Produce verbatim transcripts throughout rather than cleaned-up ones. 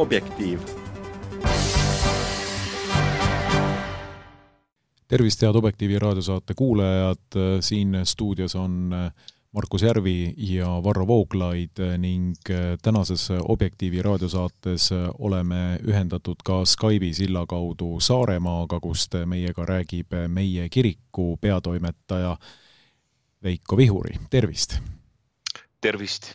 Objektiiv. Tervist, head Objektiivi raadiosaate kuulajad. Siin stuudios on Markus Järvi ja Varro Vooglaid ning tänases Objektiivi raadiosaates oleme ühendatud ka Skype'i silla kaudu Saaremaaga, kust meiega räägib meie kiriku peatoimetaja Veiko Vihuri. Tervist! Tervist!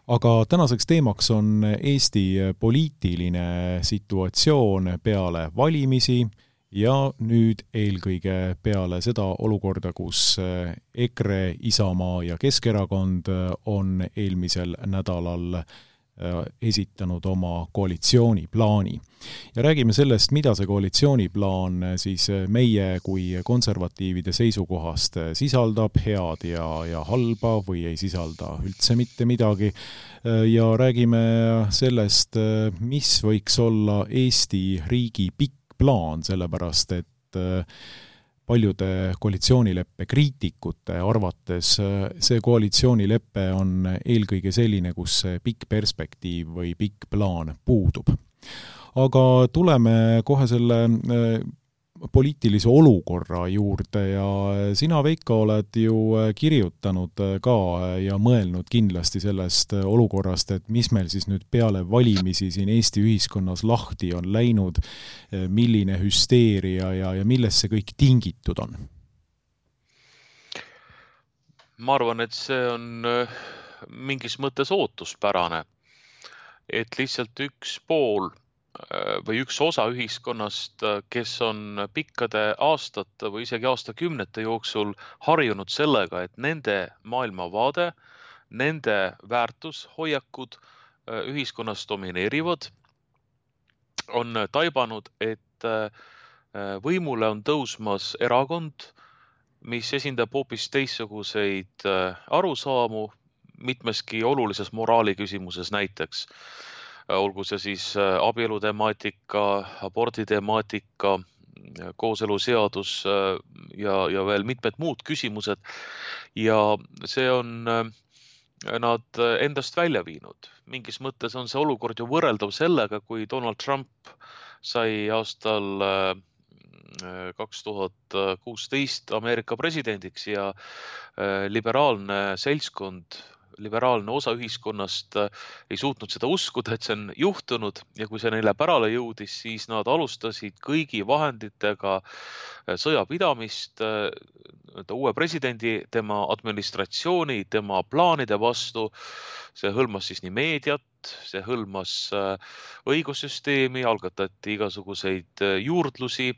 Aga tänaseks teemaks on Eesti poliitiline situatsioon peale valimisi ja nüüd eelkõige peale seda olukorda, kus EKRE, Isamaa ja Keskerakond on eelmisel nädalal esitanud oma koalitsiooniplaani. Ja räägime sellest, mida see koalitsiooniplaan siis meie kui konservatiivide seisukohast sisaldab, head ja, ja halba või ei sisalda üldse mitte midagi. Ja räägime sellest, mis võiks olla Eesti riigi pikk plaan, sellepärast et paljude koalitsioonileppe kriitikute arvates see koalitsioonileppe on eelkõige selline, kus pikk perspektiiv või pikk plaan puudub. Aga tuleme kohe selle poliitilise olukorra juurde ja sina, Veiko, oled ju kirjutanud ka ja mõelnud kindlasti sellest olukorrast, et mis meil siis nüüd peale valimisi siin Eesti ühiskonnas lahti on läinud, milline hüsteeria ja, ja millest see kõik tingitud on? Ma arvan, et see on mingis mõttes ootuspärane, et lihtsalt üks pool või üks osa ühiskonnast, kes on pikkade aastate või isegi aastakümnete jooksul harjunud sellega, et nende maailmavaade, nende väärtushoiakud ühiskonnas domineerivad, on taibanud, et võimule on tõusmas erakond, mis esindab hoopis teistsuguseid arusaamu mitmeski olulises moraali küsimuses näiteks. Olgu see siis abielu temaatika, abordi temaatika, kooseluseadus ja, ja veel mitmed muud küsimused. Ja see on nad endast välja viinud. Mingis mõttes on see olukord ju võrreldav sellega, kui Donald Trump sai aastal kaks tuhat kuusteist Ameerika presidendiks ja liberaalne seltskond, liberaalne osa ühiskonnast ei suutnud seda uskuda, et see on juhtunud ja kui see neile pärale jõudis, siis nad alustasid kõigi vahenditega sõjapidamist uue presidendi, tema administratsiooni, tema plaanide vastu. See hõlmas siis nii meediat, see hõlmas õigussüsteemi, algatati igasuguseid juurdlusi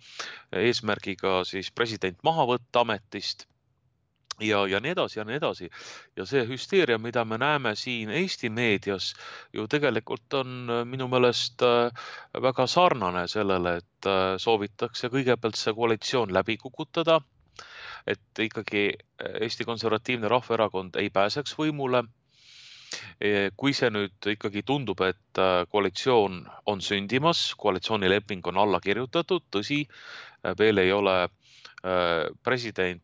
eesmärgiga siis president maha võtta ametist. Ja, ja nii edasi ja nii edasi. Ja see hüsteeria, mida me näeme siin Eesti meedias, ju tegelikult on minu meelest väga sarnane sellele, et soovitakse kõigepealt see koalitsioon läbi kukutada, et ikkagi Eesti Konservatiivne Rahvaerakond ei pääseks võimule. Kui see nüüd ikkagi tundub, et koalitsioon on sündimas, koalitsioonileping on alla kirjutatud, tõsi, veel ei ole president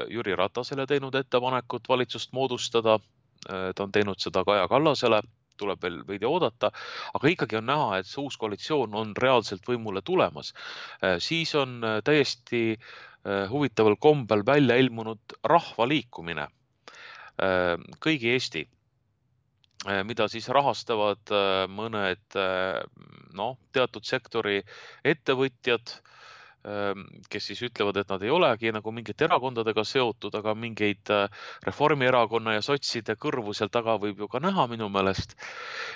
Jüri Ratasele teinud ettepanekut valitsust moodustada, ta on teinud seda Kaja Kallasele, tuleb veel veidi oodata, aga ikkagi on näha, et see uus koalitsioon on reaalselt võimule tulemas. Siis on täiesti huvitaval kombel välja ilmunud rahvaliikumine, kõigi Eesti, mida siis rahastavad mõned no, teatud sektori ettevõtjad, kes siis ütlevad, et nad ei olegi nagu mingite erakondadega seotud, aga mingeid Reformierakonna ja sotside kõrvu seal taga võib ju ka näha minu meelest.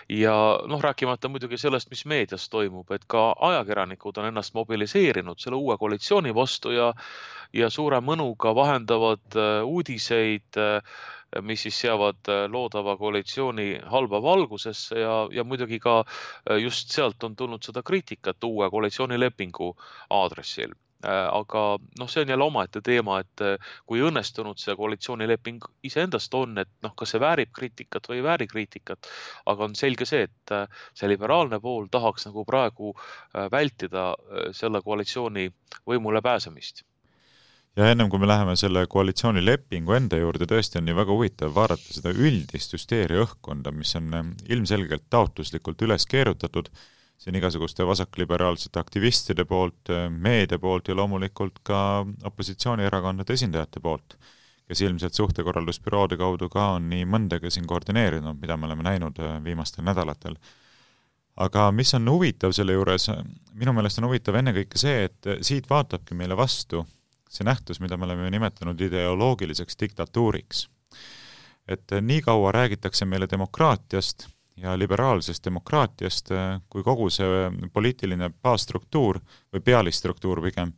Ja noh, rääkimata muidugi sellest, mis meedias toimub, et ka ajakirjanikud on ennast mobiliseerinud selle uue koalitsiooni vastu ja, ja suure mõnuga vahendavad uudiseid, mis siis seavad loodava koalitsiooni halba valgusesse ja, ja muidugi ka just sealt on tulnud seda kriitikat uue koalitsioonilepingu aadressil. Aga noh, see on jälle omaette teema, et kui õnnestunud see koalitsioonileping iseendast on, et noh, kas see väärib kriitikat või ei vääri kriitikat, aga on selge see, et see liberaalne pool tahaks nagu praegu vältida selle koalitsiooni võimule pääsemist. Ja ennem kui me läheme selle koalitsioonilepingu enda juurde, tõesti on nii väga huvitav vaadata seda üldist hüsteeria õhkkonda, mis on ilmselgelt taotluslikult üles keerutatud, siin igasuguste vasakliberaalsete aktivistide poolt, meedia poolt ja loomulikult ka opositsioonierakondade esindajate poolt, kes ilmselt suhtekorraldusbüroode kaudu ka on nii mõndega siin koordineerinud, mida me oleme näinud viimastel nädalatel. Aga mis on huvitav selle juures, minu meelest on huvitav ennekõike see, et siit vaatabki meile vastu see nähtus, mida me oleme nimetanud ideoloogiliseks diktatuuriks. Et nii kaua räägitakse meile demokraatiast ja liberaalsest demokraatiast, kui kogu see poliitiline baasstruktuur või pealistruktuur pigem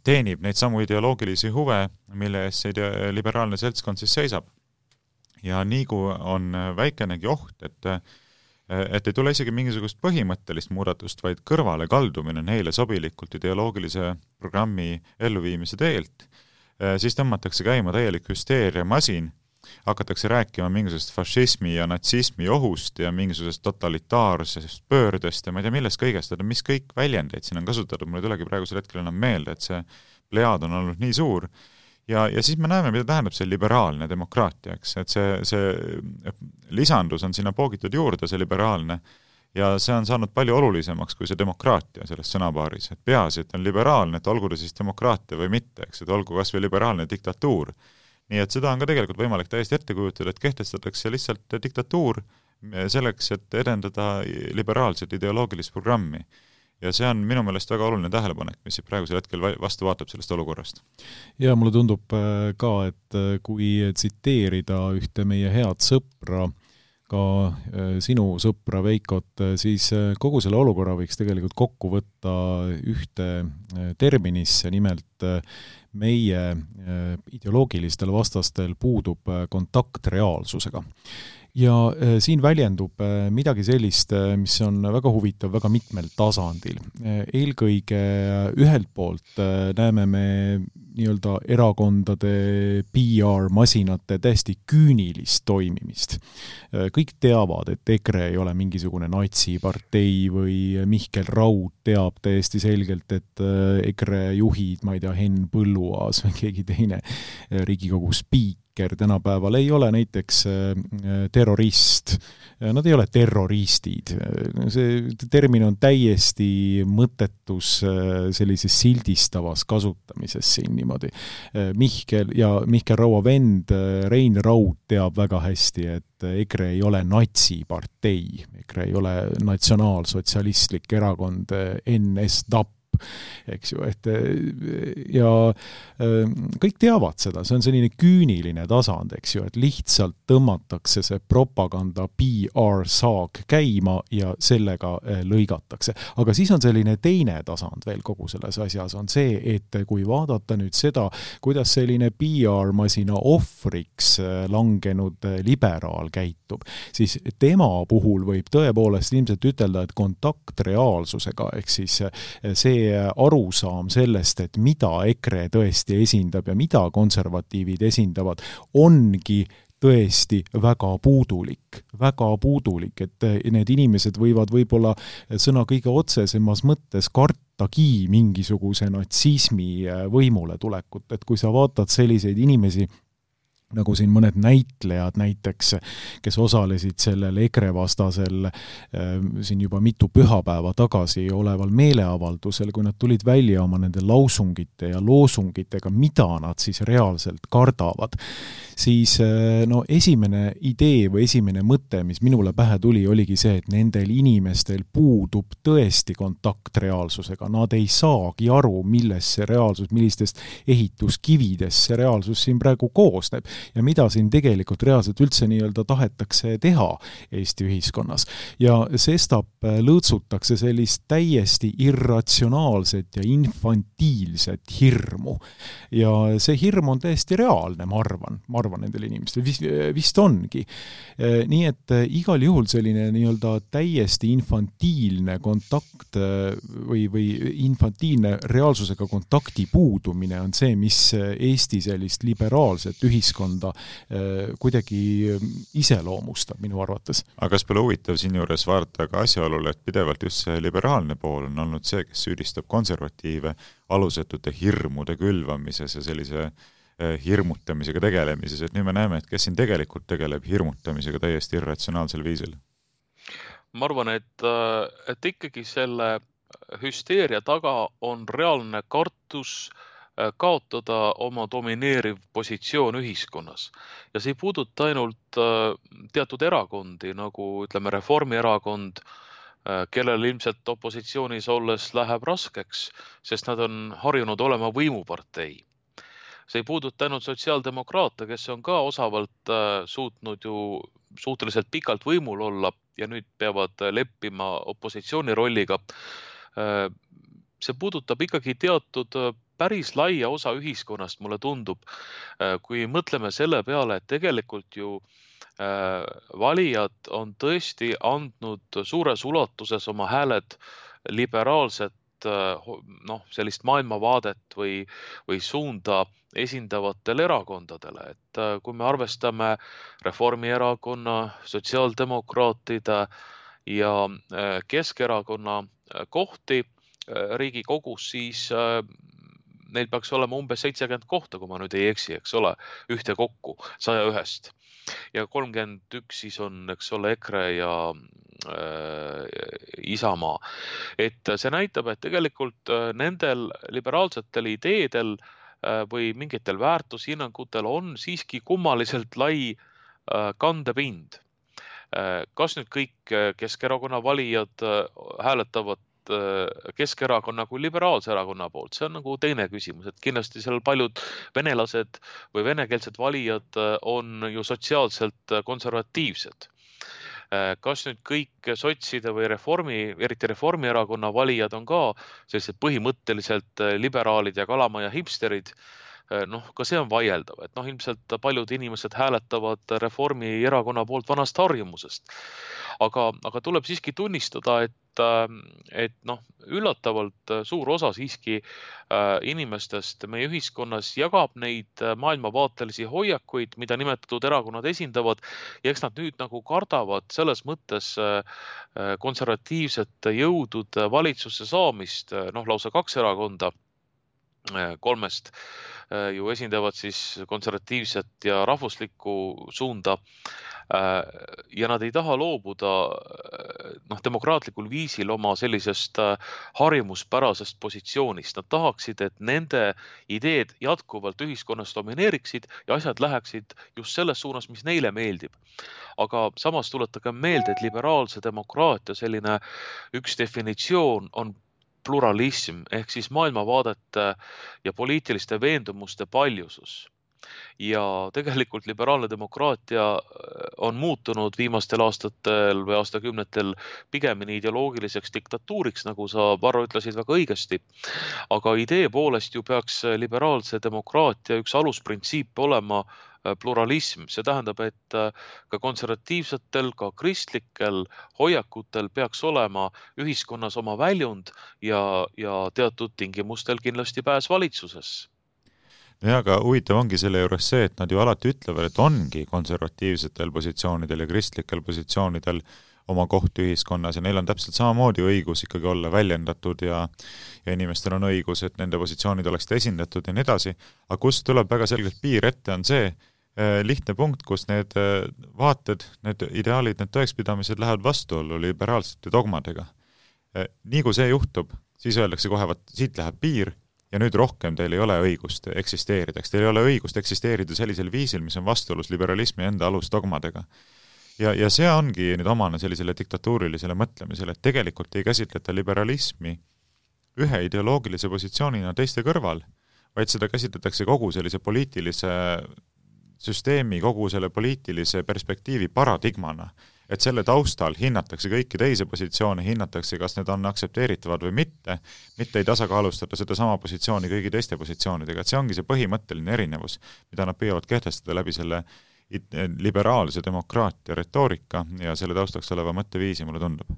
teenib neid samu ideoloogilisi huve, mille ees see liberaalne seltskond siis seisab. Ja nii kui on väikenegi oht, et et ei tule isegi mingisugust põhimõttelist muudatust, vaid kõrvale kaldumine neile sobilikult ideoloogilise programmi elluviimise teelt, siis tõmmatakse käima täielik hüsteeria masin, hakatakse rääkima mingisugusest fašismi ja natsismi ohust ja mingisugusest totalitaarsest pöördest ja ma ei tea millest kõigest, et mis kõik väljendeid siin on kasutatud, mulle tulegi praegusel hetkel enam meelde, et see plejaad on olnud nii suur. Ja, ja siis me näeme, mida tähendab see liberaalne demokraatia, eks, et see, see lisandus on sinna poogitud juurde, see liberaalne, ja see on saanud palju olulisemaks kui see demokraatia selles sõnapaaris, et peaasi, et on liberaalne, et olgu ta siis demokraatia või mitte, eks, et olgu kas või liberaalne diktatuur. Nii et seda on ka tegelikult võimalik täiesti ette kujutada, et kehtestatakse lihtsalt diktatuur selleks, et edendada liberaalset ideoloogilist programmi. Ja see on minu meelest väga oluline tähelepanek, mis praegusel hetkel vastu vaatab sellest olukorrast. Ja mulle tundub ka, et kui tsiteerida ühte meie head sõpra, ka sinu sõpra Veikot, siis kogu selle olukorra võiks tegelikult kokku võtta ühte terminisse, nimelt meie ideoloogilistel vastastel puudub kontakt reaalsusega. Ja siin väljendub midagi sellist, mis on väga huvitav väga mitmel tasandil. Eelkõige ühelt poolt näeme me nii-öelda erakondade P R-masinate täiesti küünilist toimimist. Kõik teavad, et EKRE ei ole mingisugune natsipartei või Mihkel Raud teab täiesti selgelt, et EKRE juhid, ma ei tea, Henn Põlluaas või keegi teine Riigikogu spiik tänapäeval ei ole näiteks terrorist. Nad ei ole terroristid. See termin on täiesti mõttetus sellises sildistavas kasutamises siin niimoodi. Mihkel ja Mihkel Raua vend Rein Raud teab väga hästi, et EKRE ei ole natsipartei. EKRE ei ole natsionaalsotsialistlik erakond N S D A P. Eks ju, et ja kõik teavad seda, see on selline küüniline tasand, eks ju, et lihtsalt tõmmatakse see propaganda P R-saag käima ja sellega lõigatakse. Aga siis on selline teine tasand veel kogu selles asjas, on see, et kui vaadata nüüd seda, kuidas selline P R-masina ohvriks langenud liberaal käitub, siis tema puhul võib tõepoolest ilmselt ütelda, et kontakt reaalsusega, ehk siis see arusaam sellest, et mida EKRE tõesti esindab ja mida konservatiivid esindavad, ongi tõesti väga puudulik, väga puudulik, et need inimesed võivad võib-olla sõna kõige otsesemas mõttes kartagi mingisuguse natsismi võimule tulekut, et kui sa vaatad selliseid inimesi, nagu siin mõned näitlejad näiteks, kes osalesid sellel EKRE vastasel äh, siin juba mitu pühapäeva tagasi oleval meeleavaldusel, kui nad tulid välja oma nende lausungite ja loosungitega, mida nad siis reaalselt kardavad, siis äh, no esimene idee või esimene mõte, mis minule pähe tuli, oligi see, et nendel inimestel puudub tõesti kontakt reaalsusega. Nad ei saagi aru, milles see reaalsus, millistest ehituskividest see reaalsus siin praegu koosneb. Ja mida siin tegelikult reaalselt üldse nii-öelda tahetakse teha Eesti ühiskonnas. Ja sestap lõõtsutakse sellist täiesti irratsionaalset ja infantiilset hirmu. Ja see hirm on täiesti reaalne, ma arvan, ma arvan nendel inimestel, vist, vist ongi. Nii et igal juhul selline nii-öelda täiesti infantiilne kontakt või, või infantiilne reaalsusega kontakti puudumine on see, mis Eesti sellist liberaalset ühiskonda ühiskonda kuidagi iseloomustab minu arvates. aga kas pole huvitav siin juures vaadata ka asjaolule, et pidevalt just see liberaalne pool on olnud see, kes süüdistab konservatiive alusetute hirmude külvamises ja sellise hirmutamisega tegelemises, et nüüd me näeme, et kes siin tegelikult tegeleb hirmutamisega täiesti irratsionaalsel viisil? Ma arvan, et, et ikkagi selle hüsteeria taga on reaalne kartus kaotada oma domineeriv positsioon ühiskonnas. Ja see ei puuduta ainult teatud erakondi, nagu ütleme Reformierakond, kellel ilmselt opositsioonis olles läheb raskeks, sest nad on harjunud olema võimupartei. See ei puuduta ainult sotsiaaldemokraate, kes on ka osavalt suutnud ju suhteliselt pikalt võimul olla ja nüüd peavad leppima opositsiooni rolliga. See puudutab ikkagi teatud päris laia osa ühiskonnast, mulle tundub, kui mõtleme selle peale, et tegelikult ju valijad on tõesti andnud suures ulatuses oma hääled liberaalset noh, sellist maailmavaadet või, või suunda esindavatele erakondadele. Et kui me arvestame Reformierakonna, sotsiaaldemokraatide ja Keskerakonna kohti Riigikogus, siis neil peaks olema umbes seitsekümmend kohta, kui ma nüüd ei eksi, eks ole, ühte kokku saja ühest. Ja kolmkümmend üks siis on, eks ole, EKRE ja Isamaa. Et see näitab, et tegelikult nendel liberaalsetel ideedel või mingitel väärtushinnangutel on siiski kummaliselt lai kandepind. Kas nüüd kõik Keskerakonna valijad hääletavad Keskerakonna kui liberaalse erakonna poolt, see on nagu teine küsimus, et kindlasti seal paljud venelased või venekeelsed valijad on ju sotsiaalselt konservatiivsed. Kas nüüd kõik sotside või reformi, eriti Reformierakonna valijad on ka sellised põhimõtteliselt liberaalid ja kalamaja hipsterid, noh, ka see on vaieldav, et noh, ilmselt paljud inimesed hääletavad Reformierakonna poolt vanast harjumusest. Aga, aga tuleb siiski tunnistada, et, et noh, üllatavalt suur osa siiski inimestest meie ühiskonnas jagab neid maailmavaatelisi hoiakuid, mida nimetatud erakonnad esindavad, ja eks nad nüüd nagu kardavad selles mõttes konservatiivsete jõudude valitsusse saamist, noh, lausa kaks erakonda kolmest ju esindavad siis konservatiivset ja rahvuslikku suunda ja nad ei taha loobuda noh, demokraatlikul viisil oma sellisest harjumuspärasest positsioonist. Nad tahaksid, et nende ideed jätkuvalt ühiskonnas domineeriksid ja asjad läheksid just selles suunas, mis neile meeldib. Aga samas tuletage meelde, et liberaalse demokraatia selline üks definitsioon on pluralism ehk siis maailmavaadete ja poliitiliste veendumuste paljusus. Ja tegelikult liberaalne demokraatia on muutunud viimastel aastatel või aastakümnetel pigemini ideoloogiliseks diktatuuriks, nagu sa, Varro, ütlesid väga õigesti. Aga idee poolest ju peaks liberaalse demokraatia üks alusprintsiip olema pluralism. See tähendab, et ka konservatiivsetel, ka kristlikel hoiakutel peaks olema ühiskonnas oma väljund ja, ja teatud tingimustel kindlasti pääs valitsuses. Ja, aga huvitav ongi selle juures see, et nad ju alati ütlevad, et ongi konservatiivsetel positsioonidel ja kristlikel positsioonidel oma koht ühiskonnas ja neil on täpselt samamoodi õigus ikkagi olla väljendatud ja, ja inimestel on õigus, et nende positsioonid oleksid esindatud ja nii edasi. Aga kus tuleb väga selgelt piir ette, on see eh, lihtne punkt, kus need eh, vaated, need ideaalid, need tõekspidamised lähevad vastuollu liberaalsete dogmadega. Eh, nii kui see juhtub, siis öeldakse kohe, et siit läheb piir, ja nüüd rohkem teil ei ole õigust eksisteerida. Teil ei ole õigust eksisteerida sellisel viisil, mis on vastuolus liberalismi enda alusdogmadega. Ja, ja see ongi nüüd omane sellisele diktatuurilisele mõtlemisele, et tegelikult ei käsitleta liberalismi ühe ideoloogilise positsioonina teiste kõrval, vaid seda käsitletakse kogu sellise poliitilise süsteemi, kogu selle poliitilise perspektiivi paradigmana. Et selle taustal hinnatakse kõiki teisi positsioone, hinnatakse, kas need on aktsepteeritavad või mitte, mitte ei tasakaalustada seda sama positsiooni kõigi teiste positsioonidega. Et see ongi see põhimõtteline erinevus, mida nad püüavad kehtestada läbi selle liberaalse demokraatia retoorika ja selle taustaks oleva mõtteviisi, mulle tundub.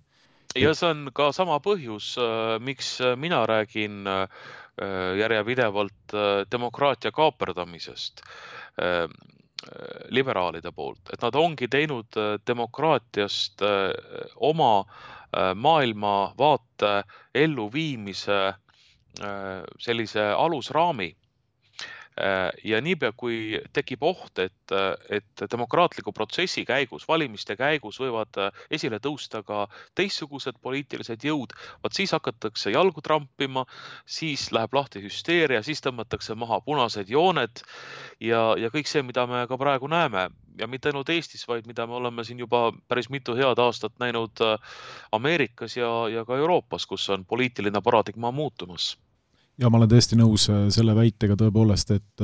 Ja see on ka sama põhjus, miks mina räägin järjepidevalt demokraatia kaaperdamisest. liberaalide poolt, et nad ongi teinud demokraatiast oma maailmavaate elluviimise sellise alusraami. Ja niipea, kui tekib oht, et, et demokraatliku protsessi käigus, valimiste käigus võivad esile tõusta ka teistsugused poliitilised jõud, vaat siis hakatakse jalgu trampima, siis läheb lahti hüsteeria, siis tõmmatakse maha punased jooned ja, ja kõik see, mida me ka praegu näeme. Ja mitte ainult Eestis, vaid mida me oleme siin juba päris mitu head aastat näinud Ameerikas ja, ja ka Euroopas, kus on poliitiline paradigma muutumas. Ja ma olen tõesti nõus selle väitega tõepoolest, et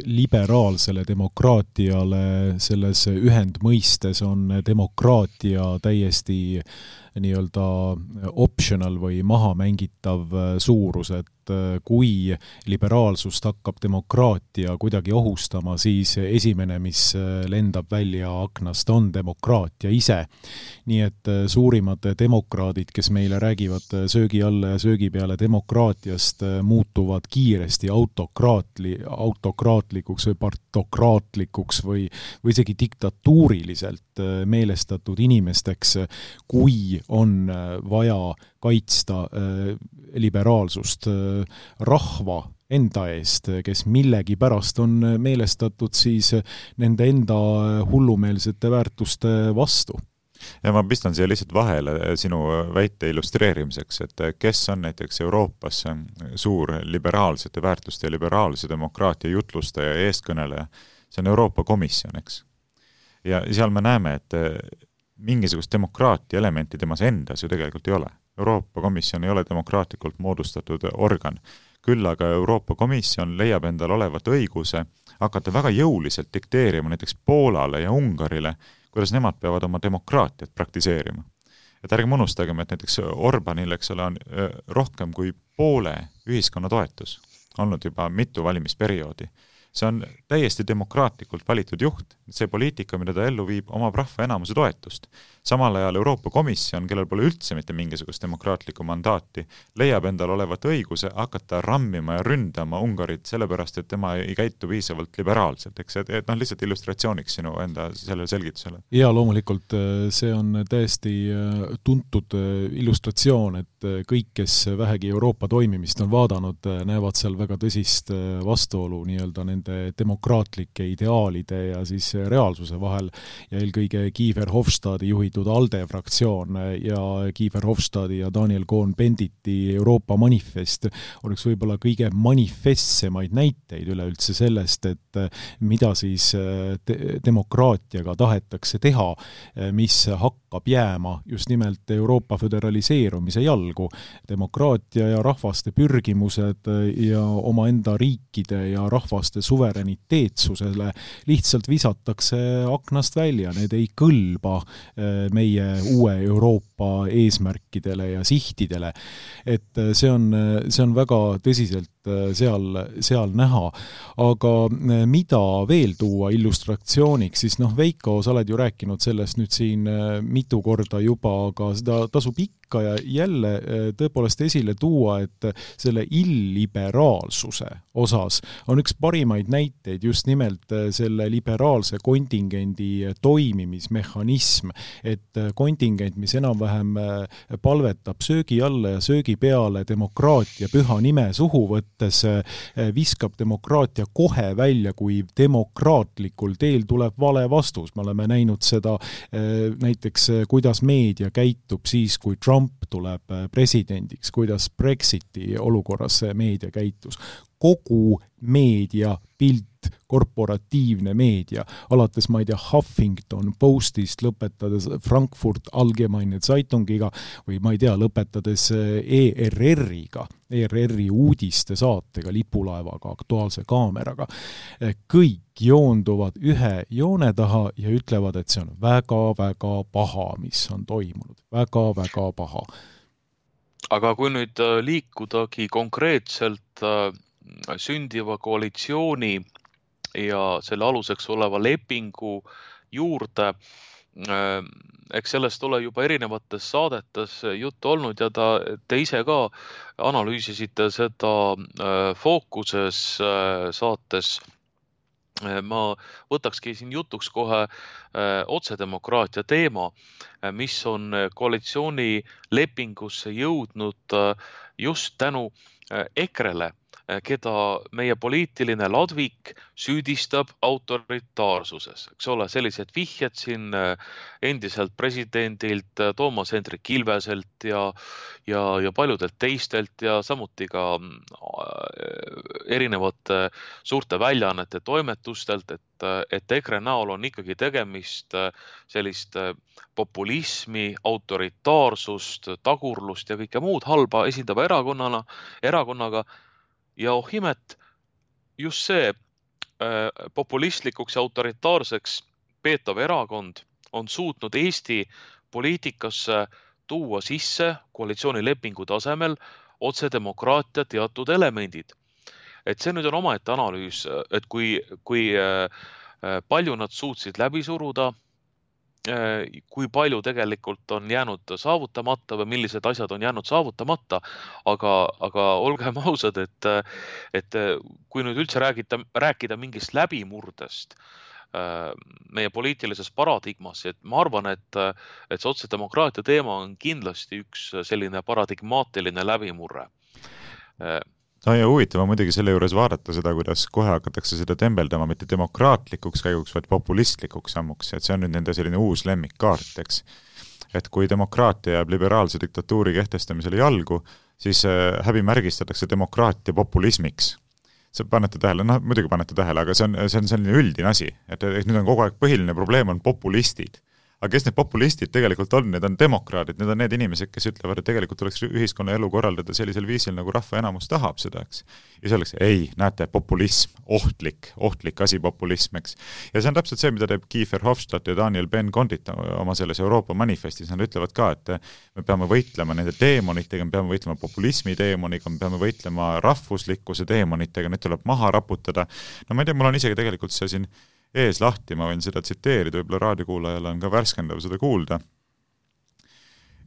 liberaalsele demokraatiale selles ühendmõistes on demokraatia täiesti nii-öelda optional või maha mängitav suurus, et kui liberaalsust hakkab demokraatia kuidagi ohustama, siis esimene, mis lendab välja aknast, on demokraatia ise. Nii et suurimad demokraadid, kes meile räägivad söögi alla ja söögi peale demokraatiast, muutuvad kiiresti autokraatli, autokraatlikuks või partokraatlikuks või, või isegi diktatuuriliselt meelestatud inimesteks, kui on vaja kaitsta liberaalsust rahva enda eest, kes millegi pärast on meelestatud siis nende enda hullumeelsete väärtuste vastu. Ja ma pistan siia lihtsalt vahele sinu väite illustreerimiseks, et kes on näiteks Euroopas suur liberaalsete väärtuste ja liberaalse demokraatia jutlustaja ja eestkõneleja, see on Euroopa Komisjon, eks. Ja seal me näeme, et mingisugust demokraatia elementi temas endas ju tegelikult ei ole. Euroopa Komisjon ei ole demokraatlikult moodustatud organ. Küll aga Euroopa Komisjon leiab endal olevat õiguse hakata väga jõuliselt dikteerima näiteks Poolale ja Ungarile, kuidas nemad peavad oma demokraatiat praktiseerima. Et ärgem unustagem, et näiteks Orbanil, eks ole, on rohkem kui poole ühiskonna toetus olnud juba mitu valimisperioodi. See on täiesti demokraatlikult valitud juht. See poliitika, mida ta ellu viib, omab rahva enamuse toetust. Samal ajal Euroopa Komisjon, kellel pole üldse mitte mingisugust demokraatlikku mandaati, leiab endal olevat õiguse hakata rammima ja ründama Ungarit sellepärast, et tema ei käitu piisavalt liberaalselt. Eks, et, et noh, lihtsalt illustratsiooniks sinu enda sellele selgitusele. Ja loomulikult see on täiesti tuntud illustratsioon, et kõik, kes vähegi Euroopa toimimist on vaadanud, näevad seal väga tõsist vastuolu nii-öelda nende demokraatlike ideaalide ja siis reaalsuse vahel ja eelkõige Kiefer Hofstadi juhitud ALDE fraktsioon ja Kiefer Hofstadi ja Daniel Cohn-Benditi Euroopa manifest on üks võib-olla kõige manifestsemaid näiteid üleüldse sellest, et mida siis te- demokraatiaga tahetakse teha, mis hakkab jääma just nimelt Euroopa föderaliseerumise jalgu. Demokraatia ja rahvaste pürgimused ja omaenda riikide ja rahvaste suvereniteetsusele lihtsalt visatakse aknast välja, need ei kõlba meie uue Euroopa eesmärkidele ja sihtidele. Et see on, see on väga tõsiselt seal, seal näha. Aga mida veel tuua illustratsiooniks, siis noh, Veiko, sa oled ju rääkinud sellest nüüd siin mitu korda juba, aga seda tasub ikka ja jälle tõepoolest esile tuua, et selle illiberaalsuse osas on üks parimaid näiteid just nimelt selle liberaalse kontingendi toimimismehhanism, et kontingent, mis enam-vähem palvetab söögi alla ja söögi peale demokraatia püha nime suhu võttes, viskab demokraatia kohe välja, kui demokraatlikul teel tuleb vale vastus. Me oleme näinud seda näiteks, kuidas meedia käitub siis, kui Trump tuleb presidendiks, kuidas Brexiti olukorras meedia käitus. Kogu meedia pilt, korporatiivne meedia, alates, ma ei tea, Huffington Postist, lõpetades Frankfurt Allgemeine Zeitungiga või ma ei tea, lõpetades E R R-iga, E R R-i uudiste saatega, lipulaevaga, Aktuaalse kaameraga. Kõik joonduvad ühe joone taha ja ütlevad, et see on väga-väga paha, mis on toimunud. Väga-väga paha. Aga kui nüüd liikudagi konkreetselt sündiva koalitsiooni ja selle aluseks oleva lepingu juurde, eks sellest ole juba erinevates saadetes juttu olnud ja ta, te ise ka analüüsisite seda Fookuses saates ma võtakski siin jutuks kohe otsedemokraatia teema, mis on koalitsiooni lepingusse jõudnud just tänu EKREle, keda meie poliitiline ladvik süüdistab autoritaarsuses. Eks ole, sellised vihjed siin endiselt presidendilt, Toomas Hendrik Ilveselt ja, ja, ja paljudelt teistelt ja samuti ka erinevate suurte väljaannete toimetustelt, et, et EKRE näol on ikkagi tegemist sellist populismi, autoritaarsust, tagurlust ja kõike muud halba esindava erakonnana, erakonnaga. Ja oh imet, just see äh, populistlikuks ja autoritaarseks peetav erakond on suutnud Eesti poliitikasse tuua sisse koalitsioonilepingu tasemel otsedemokraatia teatud elemendid. Et see nüüd on omaette analüüs, et kui, kui äh, palju nad suutsid läbi suruda, kui palju tegelikult on jäänud saavutamata või millised asjad on jäänud saavutamata, aga, aga olgem ausad, et, et kui nüüd üldse räägida, rääkida mingist läbimurdest meie poliitilises paradigmas, et ma arvan, et, et see otsedemokraatia teema on kindlasti üks selline paradigmaatiline läbimurre. No ja huvitav on muidugi selle juures vaadata seda, kuidas kohe hakatakse seda tembeldama mitte demokraatlikuks käiguks, vaid populistlikuks sammuks, et see on nüüd nende selline uus lemmikkaart, eks. Et kui demokraatia jääb liberaalse diktatuuri kehtestamisele jalgu, siis häbi märgistatakse demokraatia populismiks. See panete tähele, noh muidugi panete tähele, aga see on, see on selline üldine asi, et, et nüüd on kogu aeg põhiline probleem on populistid. Aga kes need populistid tegelikult on? Need on demokraadid, need on need inimesed, kes ütlevad, et tegelikult tuleks ühiskonna elu korraldada sellisel viisil, nagu rahva enamus tahab seda, eks. Ja see oleks, ei, näete, populism, ohtlik, ohtlik asi populism, eks. Ja see on täpselt see, mida teeb Kiefer Hofstadt ja Daniel Ben-Condit oma selles Euroopa manifestis. Nad ütlevad ka, et me peame võitlema nende teemonitega, me peame võitlema populismi teemoniga, me peame võitlema rahvuslikkuse teemonitega, need tuleb maha raputada. No ma ei tea, mul on isegi tegelikult see siin ees lahti, ma võin seda tsiteerida, võib-olla raadiokuulajale on ka värskendav seda kuulda.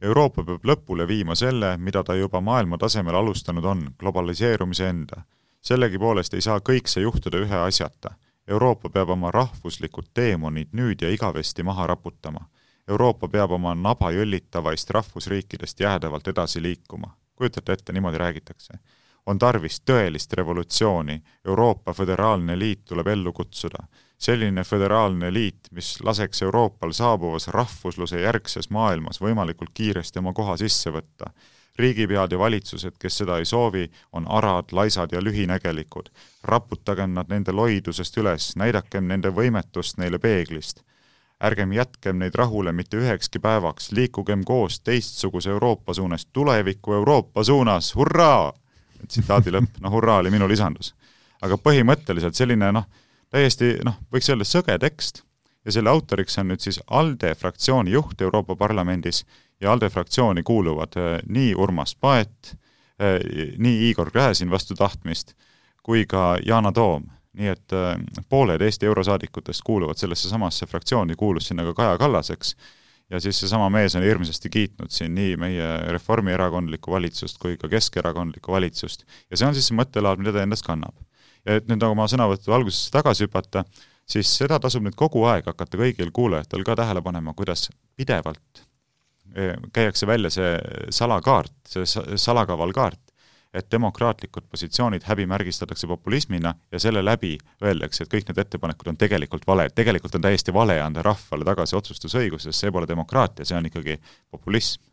Euroopa peab lõpule viima selle, mida ta juba maailma tasemel alustanud on, globaliseerumise enda. Sellegi poolest ei saa kõik see juhtuda ühe asjata. Euroopa peab oma rahvuslikud teemonid nüüd ja igavesti maha raputama. Euroopa peab oma naba jõllitavaist rahvusriikidest jäädavalt edasi liikuma. Kujutate ette, niimoodi räägitakse. On tarvis tõelist revolutsiooni. Euroopa föderaalne liit tuleb ellu kutsuda. Selline föderaalne liit, mis laseks Euroopal saabuvas rahvusluse järgses maailmas võimalikult kiiresti oma koha sisse võtta. Riigipead ja valitsused, kes seda ei soovi, on arad, laisad ja lühinägelikud. Raputagem nad nende loidusest üles, näidakem nende võimetust neile peeglist. Ärgem jätkem neid rahule mitte ühekski päevaks, liikugem koos teistsuguse Euroopa suunas, tuleviku Euroopa suunas, hurraa! Tsitaadi lõpp, no hurraa oli minu lisandus. Aga põhimõtteliselt selline, noh, täiesti, noh, võiks öelda sõge tekst ja selle autoriks on nüüd siis ALDE fraktsiooni juht Euroopa Parlamendis ja ALDE fraktsiooni kuuluvad nii Urmas Paet, nii Igor Gräzin vastu tahtmist kui ka Yana Toom. Nii et pooled Eesti eurosaadikutest kuuluvad sellesse samasse fraktsiooni, kuulus sinna ka Kaja Kallaseks ja siis see sama mees on hirmsasti kiitnud siin nii meie reformierakondlikku valitsust kui ka keskerakondlikku valitsust ja see on siis see mõttelaad, mida ta endast kannab. Ja et nüüd oma sõnavõttu algusesse tagasi hüpata, siis seda tasub nüüd kogu aeg hakata kõigil kuulajatel ka tähele panema, kuidas pidevalt käiakse välja see salakaart, see salakaval kaart, et demokraatlikud positsioonid häbi märgistatakse populismina ja selle läbi öeldakse, et kõik need ettepanekud on tegelikult vale. Tegelikult on täiesti vale anda rahvale tagasi otsustusõigus, sest see pole demokraatia, see on ikkagi populism.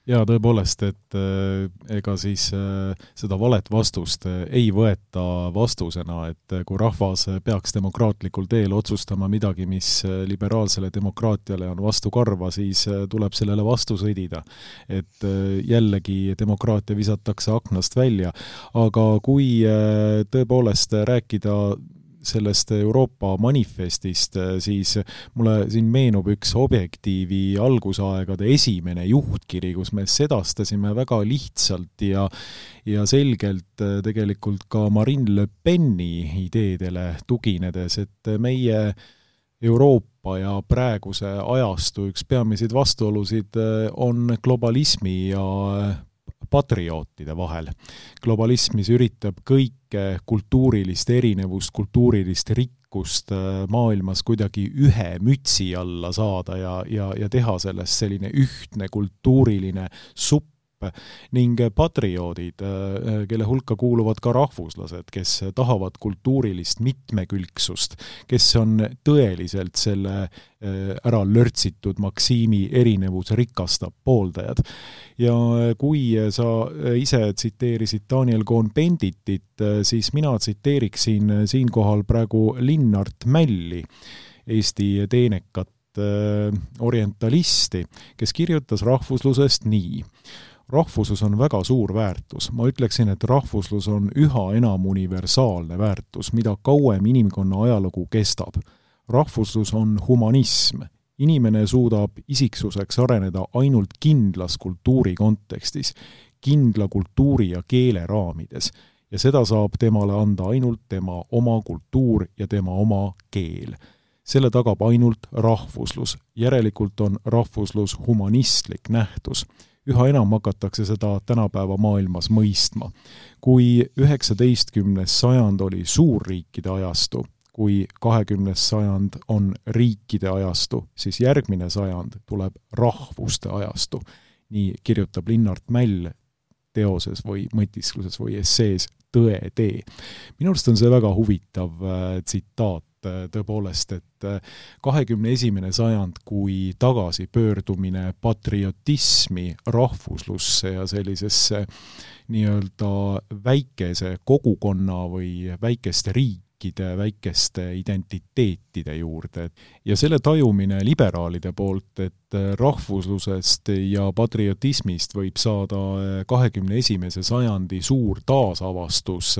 Ja tõepoolest, et äh, ega siis äh, seda valet vastust äh, ei võeta vastusena, et äh, kui rahvas peaks demokraatlikul teel otsustama midagi, mis äh, liberaalsele demokraatiale on vastu karva, siis äh, tuleb sellele vastu sõdida. Et äh, jällegi demokraatia visatakse aknast välja. Aga kui äh, tõepoolest rääkida sellest Euroopa manifestist, siis mulle siin meenub üks Objektiivi algusaegade esimene juhtkiri, kus me sedastasime väga lihtsalt ja, ja selgelt tegelikult ka Marine Le Peni ideedele tuginedes, et meie Euroopa ja praeguse ajastu üks peamiseid vastuolusid on globalismi ja patriootide vahel. Globalism, mis üritab kõike kultuurilist erinevust, kultuurilist rikkust rikkust maailmas kuidagi ühe mütsi alla saada ja, ja, ja teha sellest selline ühtne kultuuriline supp ning patrioodid, kelle hulka kuuluvad ka rahvuslased, kes tahavad kultuurilist mitmekülgsust, kes on tõeliselt selle ära lörtsitud Maksiimi erinevus rikastab pooldajad. Ja kui sa ise tsiteerisid Daniel Cohn-Benditit, siis mina tsiteeriksin siinkohal praegu Linnart Mälli, Eesti teenekat orientalisti, kes kirjutas rahvuslusest nii. Rahvuslus on väga suur väärtus. Ma ütleksin, et rahvuslus on üha enam universaalne väärtus, mida kauem inimkonna ajalugu kestab. Rahvuslus on humanism. Inimene suudab isiksuseks areneda ainult kindlas kultuuri kontekstis, kindla kultuuri ja keele raamides. Ja seda saab temale anda ainult tema oma kultuur ja tema oma keel. Selle tagab ainult rahvuslus. Järelikult on rahvuslus humanistlik nähtus. Üha enam hakatakse seda tänapäeva maailmas mõistma. Kui üheksateistkümnes sajand oli suurriikide ajastu, kui kahekümnes sajand on riikide ajastu, siis järgmine sajand tuleb rahvuste ajastu. Nii kirjutab Linnart Mäll teoses või mõtiskluses või essees Tõe tee. Minu arust on see väga huvitav tsitaat tõepoolest, et kahekümne esimene sajand kui tagasi pöördumine patriotismi, rahvuslusse ja sellisesse nii-öelda väikese kogukonna või väikeste riikide, väikeste identiteetide juurde. Ja selle tajumine liberaalide poolt, et rahvuslusest ja patriotismist võib saada kahekümne esimese sajandi suur taasavastus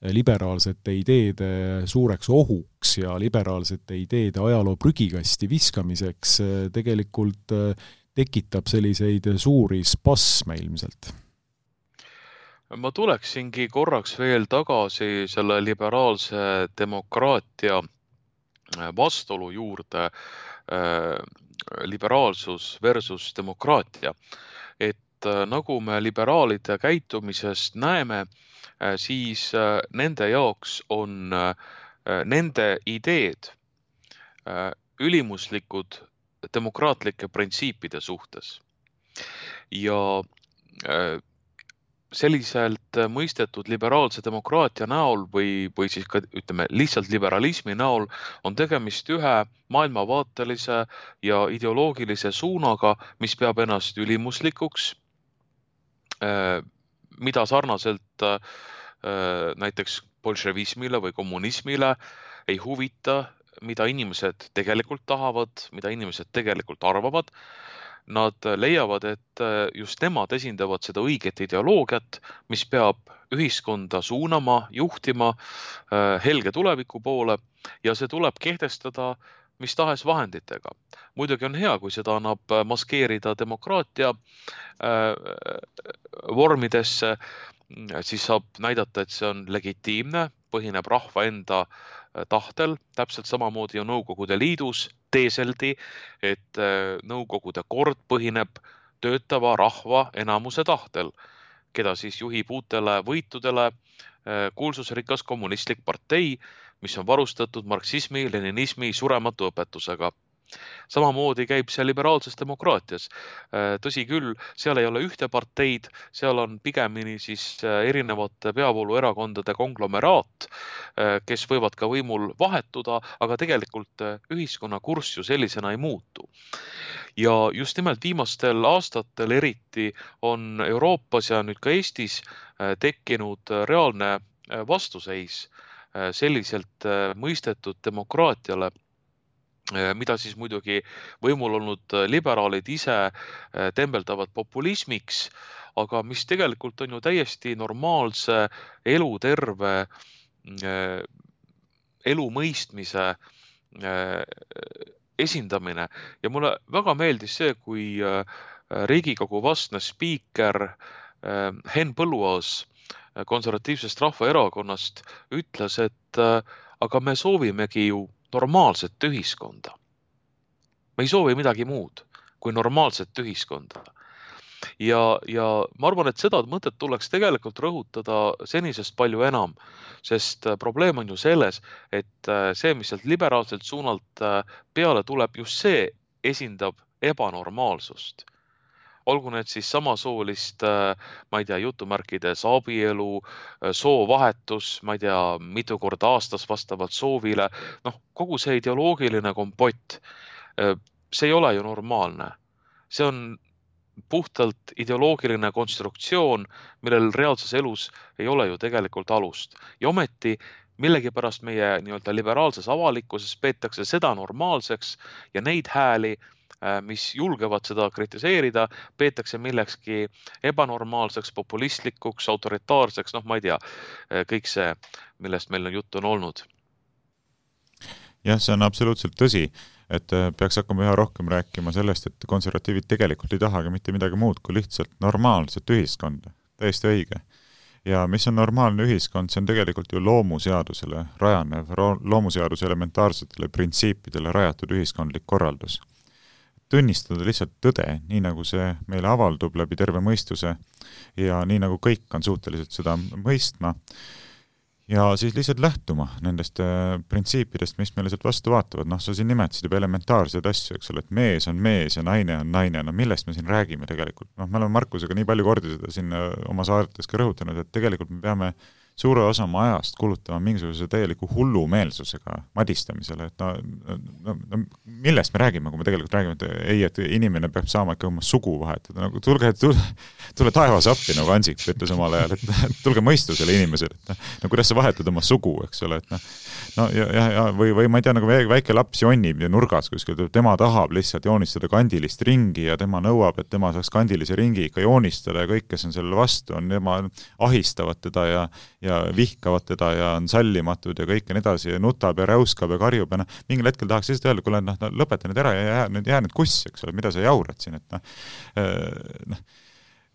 liberaalsete ideede suureks ohuks ja liberaalsete ideede ajaloo prügikasti viskamiseks tegelikult tekitab selliseid suuri spasme ilmselt. Ma tuleksingi korraks veel tagasi selle liberaalse demokraatia vastuolu juurde, liberaalsus versus demokraatia. Et nagu me liberaalide käitumisest näeme, siis nende jaoks on nende ideed ülimuslikud demokraatlike printsiipide suhtes. Ja selliselt mõistetud liberaalse demokraatia näol või, või siis ka ütleme, lihtsalt liberalismi näol on tegemist ühe maailmavaatelise ja ideoloogilise suunaga, mis peab ennast ülimuslikuks, mida sarnaselt näiteks bolševismile või kommunismile ei huvita, mida inimesed tegelikult tahavad, mida inimesed tegelikult arvavad. Nad leiavad, et just nemad esindavad seda õiget ideoloogiat, mis peab ühiskonda suunama, juhtima helge tuleviku poole ja see tuleb kehtestada mis tahes vahenditega. Muidugi on hea, kui seda annab maskeerida demokraatia vormidesse, siis saab näidata, et see on legitiimne, põhineb rahva enda tahtel, täpselt samamoodi ju Nõukogude Liidus teeseldi, et Nõukogude kord põhineb töötava rahva enamuse tahtel, keda siis juhib uutele võitudele kuulsusrikas kommunistlik partei, mis on varustatud marksismi, leninismi surematu õpetusega. Samamoodi käib see liberaalses demokraatias. Tõsi küll, seal ei ole ühte parteid, seal on pigemini siis erinevate peavooluerakondade konglomeraat, kes võivad ka võimul vahetuda, aga tegelikult ühiskonna kurss ju sellisena ei muutu. Ja just nimelt viimastel aastatel eriti on Euroopas ja nüüd ka Eestis tekkinud reaalne vastuseis selliselt mõistetud demokraatiale, mida siis muidugi võimul olnud liberaalid ise tembeldavad populismiks, aga mis tegelikult on ju täiesti normaalse eluterve elu mõistmise esindamine. Ja mulle väga meeldis see, kui Riigikogu vastne spiiker Henn Põlluaas konservatiivsest rahvaerakonnast ütles, et aga me soovimegi ju normaalset ühiskonda. Me ei soovi midagi muud kui normaalset ühiskonda. ja, ja ma arvan, et seda mõtet tuleks tegelikult rõhutada senisest palju enam, sest probleem on ju selles, et see, mis sealt liberaalselt suunalt peale tuleb, just see esindab ebanormaalsust. Olgu need siis samasoolist, ma ei tea, jutumärkides abielu, soovahetus, ma ei tea, mitu korda aastas vastavalt soovile, noh, kogu see ideoloogiline kompott, see ei ole ju normaalne. See on puhtalt ideoloogiline konstruktsioon, millel reaalses elus ei ole ju tegelikult alust. Ja ometi millegipärast meie nii-öelda liberaalses avalikkuses peetakse seda normaalseks ja neid hääli, mis julgevad seda kritiseerida, peetakse millekski ebanormaalseks, populistlikuks, autoritaarseks, noh, ma ei tea, kõik see, millest meil on juttu on olnud. Jah, see on absoluutselt tõsi, et peaks hakkama üha rohkem rääkima sellest, et konservatiivid tegelikult ei tahagi mitte midagi muud kui lihtsalt normaalset ühiskonda. Täiesti õige. Ja mis on normaalne ühiskond, see on tegelikult ju loomuseadusele rajanev, loomuseaduse elementaarsetele printsiipidele rajatud ühiskondlik korraldus. Tunnistada lihtsalt tõde, nii nagu see meile avaldub läbi terve mõistuse ja nii nagu kõik on suhteliselt seda mõistma ja siis lihtsalt lähtuma nendest printsiipidest, mis meile sealt vastu vaatavad. Noh, sa siin nimetasid juba elementaarseid asju, eks ole, et mees on mees ja naine on naine. No millest me siin räägime tegelikult? Noh, me oleme Markusega nii palju kordi seda siin oma saaretes ka rõhutanud, et tegelikult me peame suure osa oma ajast kulutama mingisuguse täieliku hullumeelsusega madistamisele, et no, no, no millest me räägime, kui me tegelikult räägime, et ei, et inimene peab saama ikka oma sugu vahetada, nagu tulge, tule, tule taevas appi, nagu Ansip ütles omal ajal, et tulge mõistusele inimesele, et no, no kuidas sa vahetad oma sugu, eks ole, et noh, no ja, ja, ja või, või ma ei tea, nagu väike laps jonnib nurgas kuskil, tema tahab lihtsalt joonistada kandilist ringi ja tema nõuab, et tema saaks kandilise ringi ikka joonistada ja kõik, kes on selle vastu, on tema ahistavad teda ja, ja vihkavad teda ja on sallimatud ja kõik ja nii edasi ja nutab ja räuskab ja karjub ja noh, mingil hetkel tahaks lihtsalt öelda, kuule, noh, no, lõpeta nüüd ära ja jää nüüd, jää nüüd kuss, eks ole, mida sa jaurad siin, et noh, noh,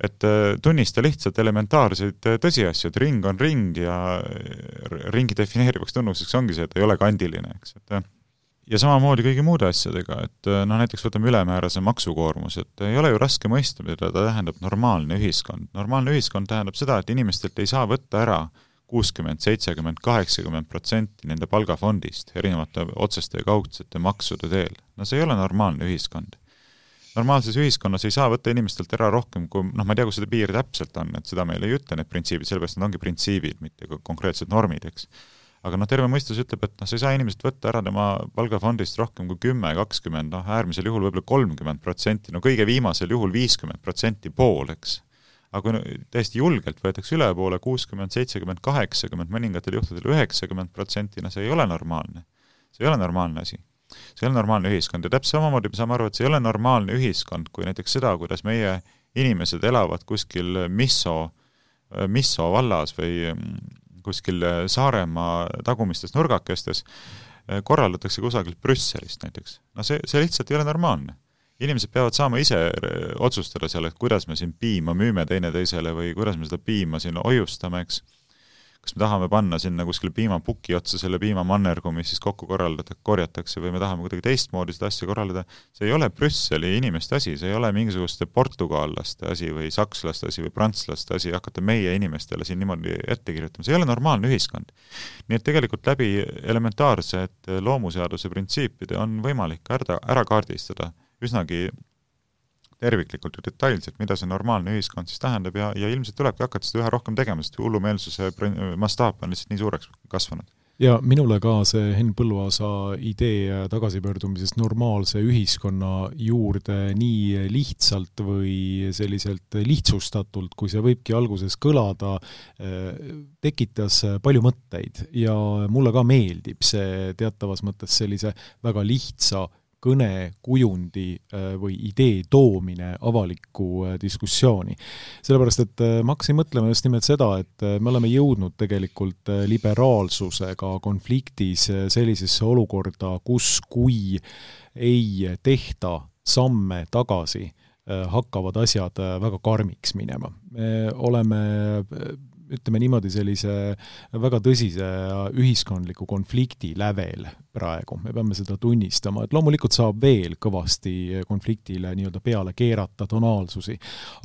et tunnista lihtsalt elementaarseid tõsiasju, et ring on ring ja ringi defineerivaks tunnuseks ongi see, et ei ole kandiline, eks, et ja samamoodi kõigi muude asjadega, et noh, näiteks võtame ülemäärase maksukoormus, et ei ole ju raske mõista, mida ta tähendab normaalne ühiskond. Normaalne ühiskond tähendab seda, et inimestelt ei saa võtta ära kuuskümmend, seitsekümmend, kaheksakümmend protsenti nende palgafondist erinevate otseste ja kaudsete maksude teel. No see ei ole normaalne ühiskond. Normaalses ühiskonnas ei saa võtta inimestelt ära rohkem, kui, noh, ma ei tea, kus seda piir täpselt on, et seda meil ei ütle need printsiibid, sellepärast need ongi printsiibid, mitte konkreetsed normid, eks. Aga noh, terve mõistus ütleb, et noh, sa ei saa inimesed võtta ära tema palgafondist rohkem kui kümme, kakskümmend, noh, äärmisel juhul võib-olla kolmkümmend protsenti, no kõige viimasel juhul viiskümmend protsenti pool, eks. Aga kui no, täiesti julgelt võetakse üle poole kuuskümmend, seitsekümmend, kaheksakümmend, mõningatel juhtudel üheksakümmend protsenti, no see ei ole normaalne. See ei ole normaalne asi. See ei ole normaalne ühiskond ja täpselt samamoodi me saame aru, et see ei ole normaalne ühiskond, kui näiteks seda, kuidas meie inimesed elavad kuskil Misso, Misso vallas või kuskil Saaremaa tagumistes nurgakestes, korraldatakse kusagilt Brüsselist näiteks. No see, see lihtsalt ei ole normaalne. Inimesed peavad saama ise otsustada selle, et kuidas me siin piima müüme teine teisele või kuidas me seda piima siin hoiustame, eks. Kas me tahame panna sinna kuskil piimapuki otsa selle piimamannergu, mis siis kokku korraldatakse, korjatakse või me tahame kuidagi teistmoodi seda asja korraldada. See ei ole Brüsseli inimeste asi, see ei ole mingisuguste portugallaste asi või sakslaste asi või prantslaste asi hakata meie inimestele siin niimoodi ette kirjutama. See ei ole normaalne ühiskond. Nii et tegelikult läbi elementaarsed loomuseaduse printsiipide on võimalik ära, ära kaardistada üsnagi terviklikult ja detailselt, mida see normaalne ühiskond siis tähendab ja, ja ilmselt tulebki hakata seda üha rohkem tegema, sest hullumeelsuse mastaap on lihtsalt nii suureks kasvanud. Ja minule ka see Henn Põlluaasa idee tagasipöördumisest normaalse ühiskonna juurde nii lihtsalt või selliselt lihtsustatult, kui see võibki alguses kõlada, tekitas palju mõtteid ja mulle ka meeldib see teatavas mõttes sellise väga lihtsa kõne, kujundi või idee toomine avalikku diskussiooni. Sellepärast, et ma hakkasin mõtlema just nimelt seda, et me oleme jõudnud tegelikult liberaalsusega konfliktis sellisesse olukorda, kus kui ei tehta samme tagasi, hakkavad asjad väga karmiks minema. Me oleme ütleme niimoodi, sellise väga tõsise ühiskondliku konflikti lävel praegu. Me peame seda tunnistama, et loomulikult saab veel kõvasti konfliktile nii-öelda peale keerata tonaalsusi,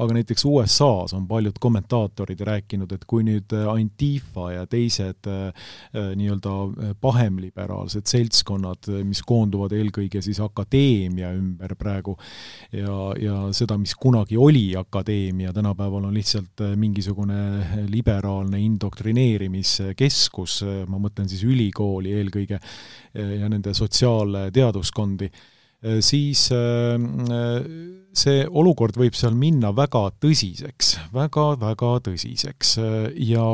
aga näiteks U S A-s on paljud kommentaatorid rääkinud, et kui nüüd Antifa ja teised nii-öelda pahemliberaalsed seltskonnad, mis koonduvad eelkõige siis akadeemia ümber praegu ja, ja seda, mis kunagi oli akadeemia, tänapäeval on lihtsalt mingisugune liberaalne indoktrineerimiskeskus, ma mõtlen siis ülikooli eelkõige ja nende sotsiaalteaduskondi, siis see olukord võib seal minna väga tõsiseks, väga-väga tõsiseks ja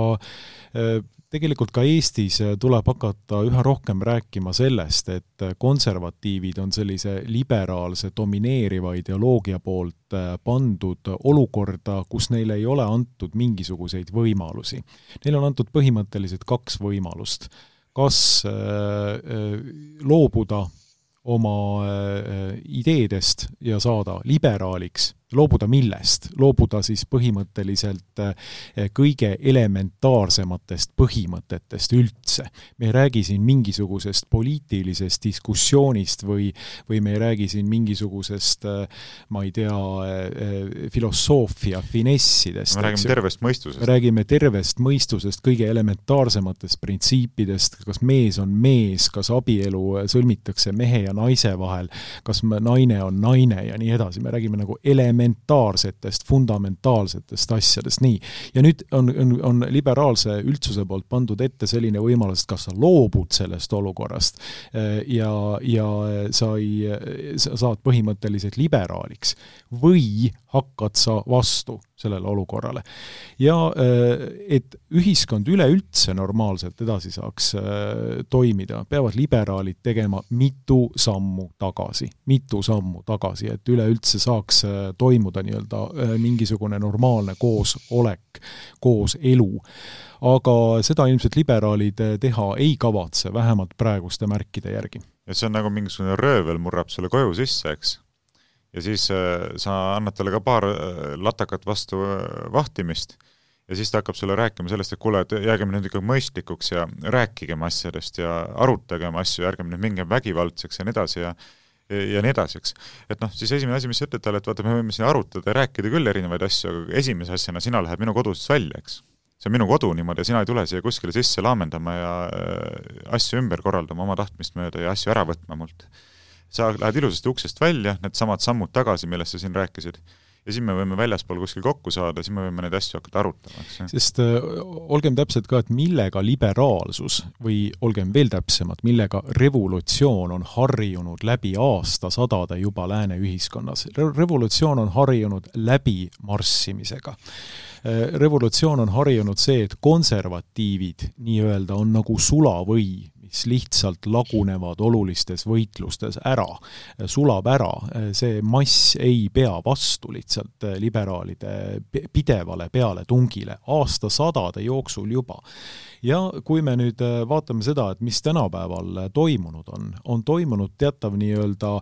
tegelikult ka Eestis tuleb hakata üha rohkem rääkima sellest, et konservatiivid on sellise liberaalse domineeriva ideoloogia poolt pandud olukorda, kus neile ei ole antud mingisuguseid võimalusi. Neil on antud põhimõtteliselt kaks võimalust. Kas loobuda oma ideedest ja saada liberaaliks, loobuda millest? Loobuda siis põhimõtteliselt kõige elementaarsematest põhimõtetest üldse. Me ei räägi siin mingisugusest poliitilisest diskussioonist või, või me ei räägi siin mingisugusest, ma ei tea, filosoofia finessidest. Me räägime tervest mõistusest. Me räägime tervest mõistusest, kõige elementaarsematest printsiipidest, kas mees on mees, kas abielu sõlmitakse mehe ja naise vahel, kas naine on naine ja nii edasi. Me räägime nagu elementaarsetest elementaarsetest, fundamentaalsetest asjadest. Nii. Ja nüüd on, on, on liberaalse üldsuse poolt pandud ette selline võimalus, et kas sa loobud sellest olukorrast ja, ja sa, ei, sa saad põhimõtteliselt liberaaliks või hakkad sa vastu sellele olukorrale. Ja et ühiskond üleüldse normaalselt edasi saaks toimida, peavad liberaalid tegema mitu sammu tagasi, mitu sammu tagasi, et üleüldse saaks toimuda nii-öelda mingisugune normaalne koosolek, koos elu. Aga seda ilmselt liberaalid teha ei kavatse, vähemalt praeguste märkide järgi. Ja see on nagu mingisugune röövel murrab selle koju sisse, eks? Ja siis sa annad talle ka paar latakat vastu vahtimist ja siis ta hakkab sulle rääkima sellest, et kuule, et jäägem nüüd ikka mõistlikuks ja rääkigem asjadest ja arutagem asju, ärgem nüüd mingem vägivaldseks ja nii edasi ja, ja nii edasi, eks. Et noh, siis esimene asi, mis sa ütled talle, et vaata, me võime siin arutada ja rääkida küll erinevaid asju, aga esimese asjana sina lähed minu kodusest välja, eks. See on minu kodu niimoodi ja sina ei tule siia kuskile sisse laamendama ja asju ümber korraldama oma tahtmist mööda ja asju ära võtma mult. Sa lähed ilusasti uksest välja, need samad sammud tagasi, millest sa siin rääkisid. Ja siin me võime väljaspool kuskil kokku saada, siin me võime neid asju hakata arutama. Sest äh, olgem täpselt ka, et millega liberaalsus või olgem veel täpsemad, millega revolutsioon on harjunud läbi aastasadade juba lääne ühiskonnas. Re- revolutsioon on harjunud läbi marssimisega. Revolutsioon on harjunud see, et konservatiivid nii-öelda on nagu sulavõi, mis lihtsalt lagunevad olulistes võitlustes ära, sulab ära. See mass ei pea vastu lihtsalt liberaalide pidevale peale tungile aastasadade jooksul juba. Ja kui me nüüd vaatame seda, et mis tänapäeval toimunud on, on toimunud teatav nii-öelda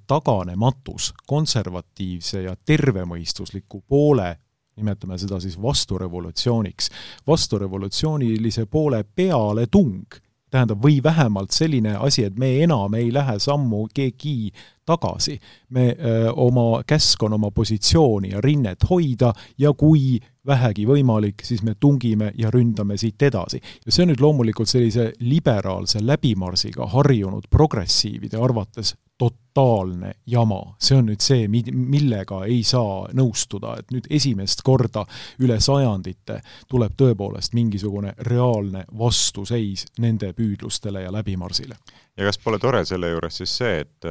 taganematus konservatiivse ja tervemõistusliku poole, nimetame seda siis vasturevolutsiooniks, vasturevolutsioonilise poole peale tung, tähendab, või vähemalt selline asi, et me enam ei lähe sammu keegi tagasi. Me öö, oma käsk on oma positsiooni ja rinnet hoida ja kui vähegi võimalik, siis me tungime ja ründame siit edasi. Ja see on nüüd loomulikult sellise liberaalse läbimarsiga harjunud progressiivide arvates totaalne jama. See on nüüd see, millega ei saa nõustuda, et nüüd esimest korda üle sajandite tuleb tõepoolest mingisugune reaalne vastuseis nende püüdlustele ja läbimarsile. Ja kas pole tore selle juures siis see, et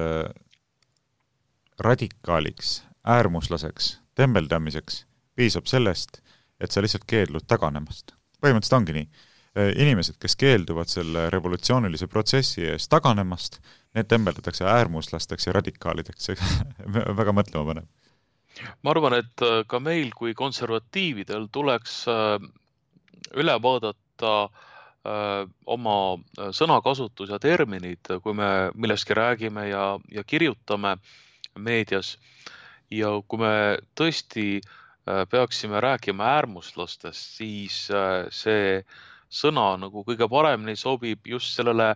radikaaliks, äärmuslaseks, tembeldamiseks piisab sellest, et sa lihtsalt keeldud taganemast. Põhimõtteliselt ongi nii. Inimesed, kes keelduvad selle revolutsioonilise protsessi ees taganemast, need tembeldatakse äärmuslasteks ja radikaalideks. Väga mõtlema paneb. Ma arvan, et ka meil kui konservatiividel tuleks üle vaadata oma sõnakasutus ja terminid, kui me millestki räägime ja, ja kirjutame meedias. Ja kui me tõesti peaksime rääkima äärmuslastest, siis see sõna nagu kõige paremini sobib just sellele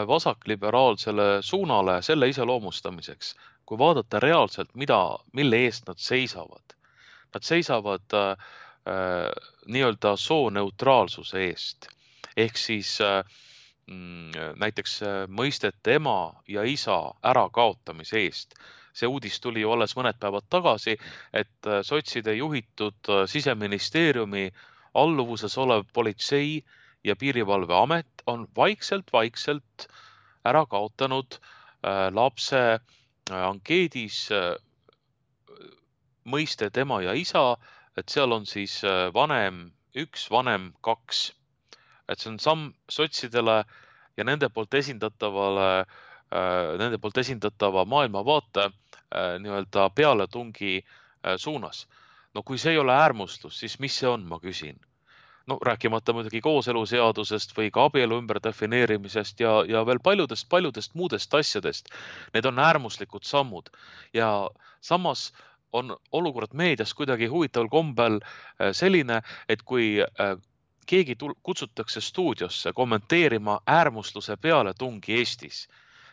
vasakliberaalsele suunale selle iseloomustamiseks. Kui vaadata reaalselt, mida, mille eest nad seisavad. Nad seisavad äh, nii-öelda sooneutraalsuse eest. Ehk siis äh, näiteks mõistete ema ja isa ärakaotamise eest. See uudis tuli ju alles mõned päevad tagasi, et sotside juhitud Siseministeeriumi alluvuses olev politsei ja piirivalveamet on vaikselt-vaikselt ära kaotanud lapse ankeedis mõiste tema ja isa, et seal on siis vanem üks, vanem kaks. Et see on samm sotsidele ja nende poolt esindatavale, nende poolt esindatava maailmavaate nii-öelda pealetungi suunas. No kui see ei ole äärmustus, siis mis see on, ma küsin? No rääkimata muidugi kooseluseadusest või ka abielu ümber defineerimisest ja, ja veel paljudest, paljudest muudest asjadest. Need on äärmuslikud sammud ja samas on olukord meedias kuidagi huvitaval kombel selline, et kui keegi kutsutakse stuudiosse kommenteerima äärmusluse pealetungi Eestis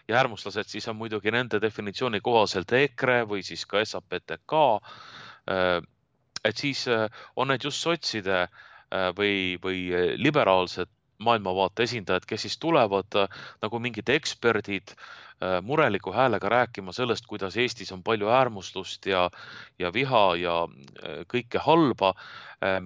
ja äärmuslased siis on muidugi nende definitsiooni kohaselt EKRE või siis ka S A P T K, et siis on need just sotside või, või liberaalsed maailmavaate esindajad, kes siis tulevad nagu mingid eksperdid mureliku häälega rääkima sellest, kuidas Eestis on palju äärmuslust ja, ja viha ja kõike halba,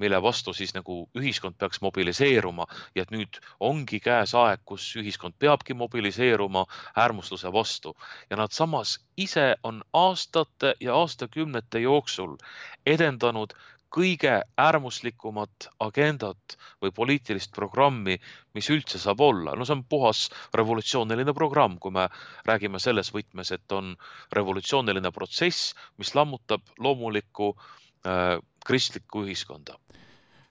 mille vastu siis nagu ühiskond peaks mobiliseeruma ja et nüüd ongi käes aeg, kus ühiskond peabki mobiliseeruma äärmusluse vastu. Ja nad samas ise on aastate ja aastakümnete jooksul edendanud kõige äärmuslikumat agendat või poliitilist programmi, mis üldse saab olla. No see on puhas revolutsiooniline programm, kui me räägime selles võtmes, et on revolutsiooniline protsess, mis lammutab loomulikku äh, kristlikku ühiskonda.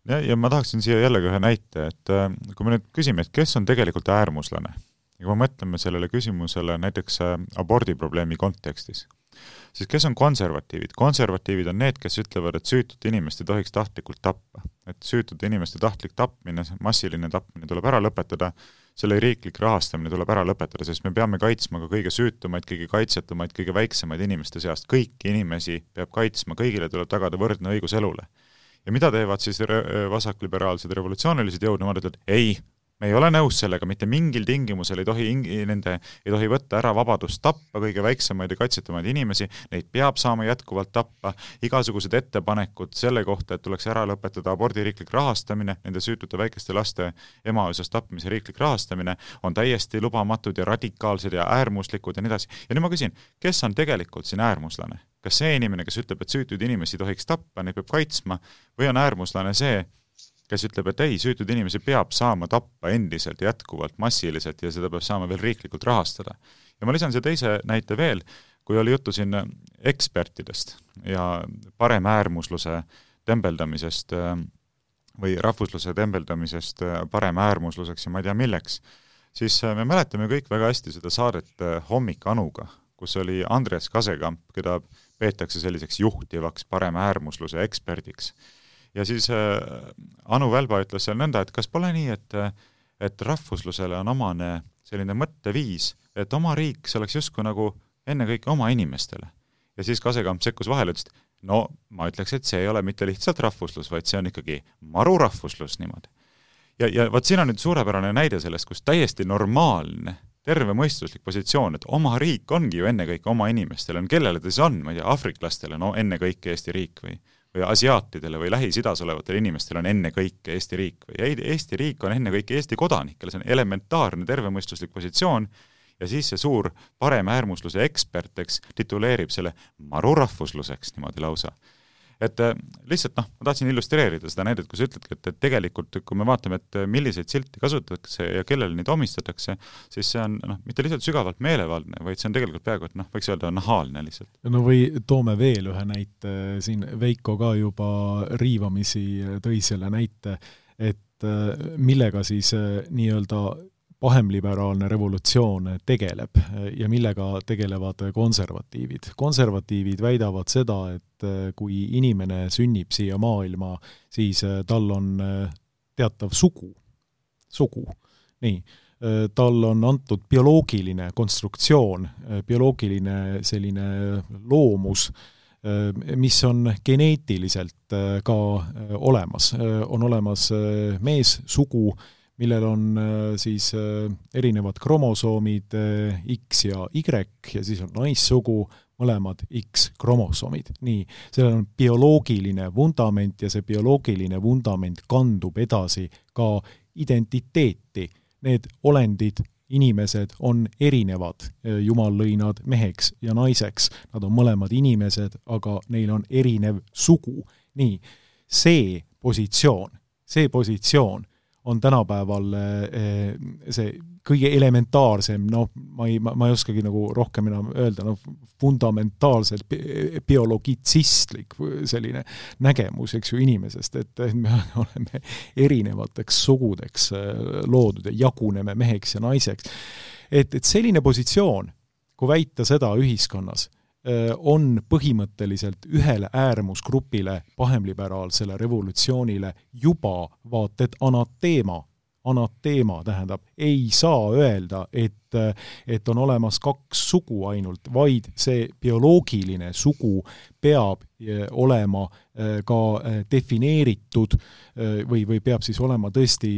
Ja, ja ma tahaksin siia jällegi ühe näite, et äh, kui me nüüd küsime, et kes on tegelikult äärmuslane, ja kui me mõtleme sellele küsimusele näiteks äh, abordiprobleemi kontekstis, siis kes on konservatiivid? Konservatiivid on need, kes ütlevad, et süütud inimest ei tohiks tahtlikult tappa. Et süütud inimeste tahtlik tapmine, massiline tapmine tuleb ära lõpetada, selle riiklik rahastamine tuleb ära lõpetada, sest me peame kaitsma ka kõige süütumaid, kõige kaitsetumaid, kõige väiksemaid inimeste seast. Kõiki inimesi peab kaitsma, kõigile tuleb tagada võrdne õigus elule. Ja mida teevad siis vasakliberaalsed revolutsioonilised jõud? Nemad ütlevad, ei, me ei ole nõus sellega, mitte mingil tingimusel ei tohi, nende, ei tohi võtta ära vabadust tappa kõige väiksemaid ja kaitsetumaid inimesi, neid peab saama jätkuvalt tappa, igasugused ettepanekud selle kohta, et tuleks ära lõpetada abordi riiklik rahastamine, nende süütute väikeste laste emaosast tapmise riiklik rahastamine on täiesti lubamatud ja radikaalsed ja äärmuslikud ja nii edasi. Ja nüüd ma küsin, kes on tegelikult siin äärmuslane? Kas see inimene, kes ütleb, et süütud inimesi tohiks tappa, neid peab kaitsma, või on äärmuslane see, kes ütleb, et ei, süütud inimesi peab saama tappa endiselt jätkuvalt massiliselt ja seda peab saama veel riiklikult rahastada. Ja ma lisan see teise näite veel, kui oli juttu siin ekspertidest ja paremäärmusluse tembeldamisest või rahvusluse tembeldamisest paremäärmusluseks ja ma ei tea milleks, siis me mäletame kõik väga hästi seda saadet Hommik Anuga, kus oli Andres Kasekamp, keda peetakse selliseks juhtivaks paremäärmusluse eksperdiks. Ja siis äh, Anu Välba ütles seal nõnda, et kas pole nii, et, et rahvuslusele on omane selline mõtteviis, et oma riik see oleks justkui nagu enne kõik oma inimestele. Ja siis Kasekamp sekkus vahele, ütles, no ma ütleks, et see ei ole mitte lihtsalt rahvuslus, vaid see on ikkagi marurahvuslus niimoodi. Ja, ja vaat siin on nüüd suurepärane näide sellest, kus täiesti normaalne, terve mõistuslik positsioon, et oma riik ongi ju enne kõik oma inimestele, on kellele ta siis on, ma ei tea, afriklastele, no enne kõik Eesti riik või või asiaatidele või Lähis-Idas olevatele inimestele on enne kõik Eesti riik või Eesti riik on enne kõik Eesti kodanikele, see on elementaarne tervemõistuslik positsioon ja siis see suur paremäärmusluse ekspert, eks, tituleerib selle marurahvusluseks niimoodi lausa. Et lihtsalt, noh, ma tahtsin illustreerida seda näidet, kus ütledki, et, et tegelikult, kui me vaatame, et milliseid silti kasutatakse ja kellele neid omistatakse, siis see on, noh, mitte lihtsalt sügavalt meelevaldne, vaid see on tegelikult peaaegu, et noh, võiks öelda nahaalne lihtsalt. No või toome veel ühe näite, siin Veiko ka juba riivamisi tõi selle näite, et millega siis nii-öelda pahemliberaalne revolutsioon tegeleb ja millega tegelevad konservatiivid. Konservatiivid väidavad seda, et kui inimene sünnib siia maailma, siis tal on teatav sugu. Sugu. Nii. Tal on antud bioloogiline konstruktsioon, bioloogiline selline loomus, mis on geneetiliselt ka olemas. On olemas meessugu, millel on siis erinevad kromosoomid X ja Y ja siis on naissugu, mõlemad X-kromosoomid. Nii, sellel on bioloogiline vundament ja see bioloogiline vundament kandub edasi ka identiteeti. Need olendid, inimesed on erinevad. Jumal lõi nad meheks ja naiseks. Nad on mõlemad inimesed, aga neil on erinev sugu. Nii, see positsioon, see positsioon on tänapäeval see kõige elementaarsem, no ma ei, ma, ma ei oskagi nagu rohkem enam öelda, no fundamentaalselt biologitsistlik selline nägemus, eks ju, inimesest, et me oleme erinevateks sugudeks loodud ja jaguneme meheks ja naiseks. Et, et selline positsioon, kui väita seda ühiskonnas, on põhimõtteliselt ühele äärmusgrupile, pahemliberaalsele revolutsioonile juba vaated anateema. Anateema tähendab, ei saa öelda, et, et on olemas kaks sugu ainult, vaid see bioloogiline sugu peab olema ka defineeritud või, või peab siis olema tõesti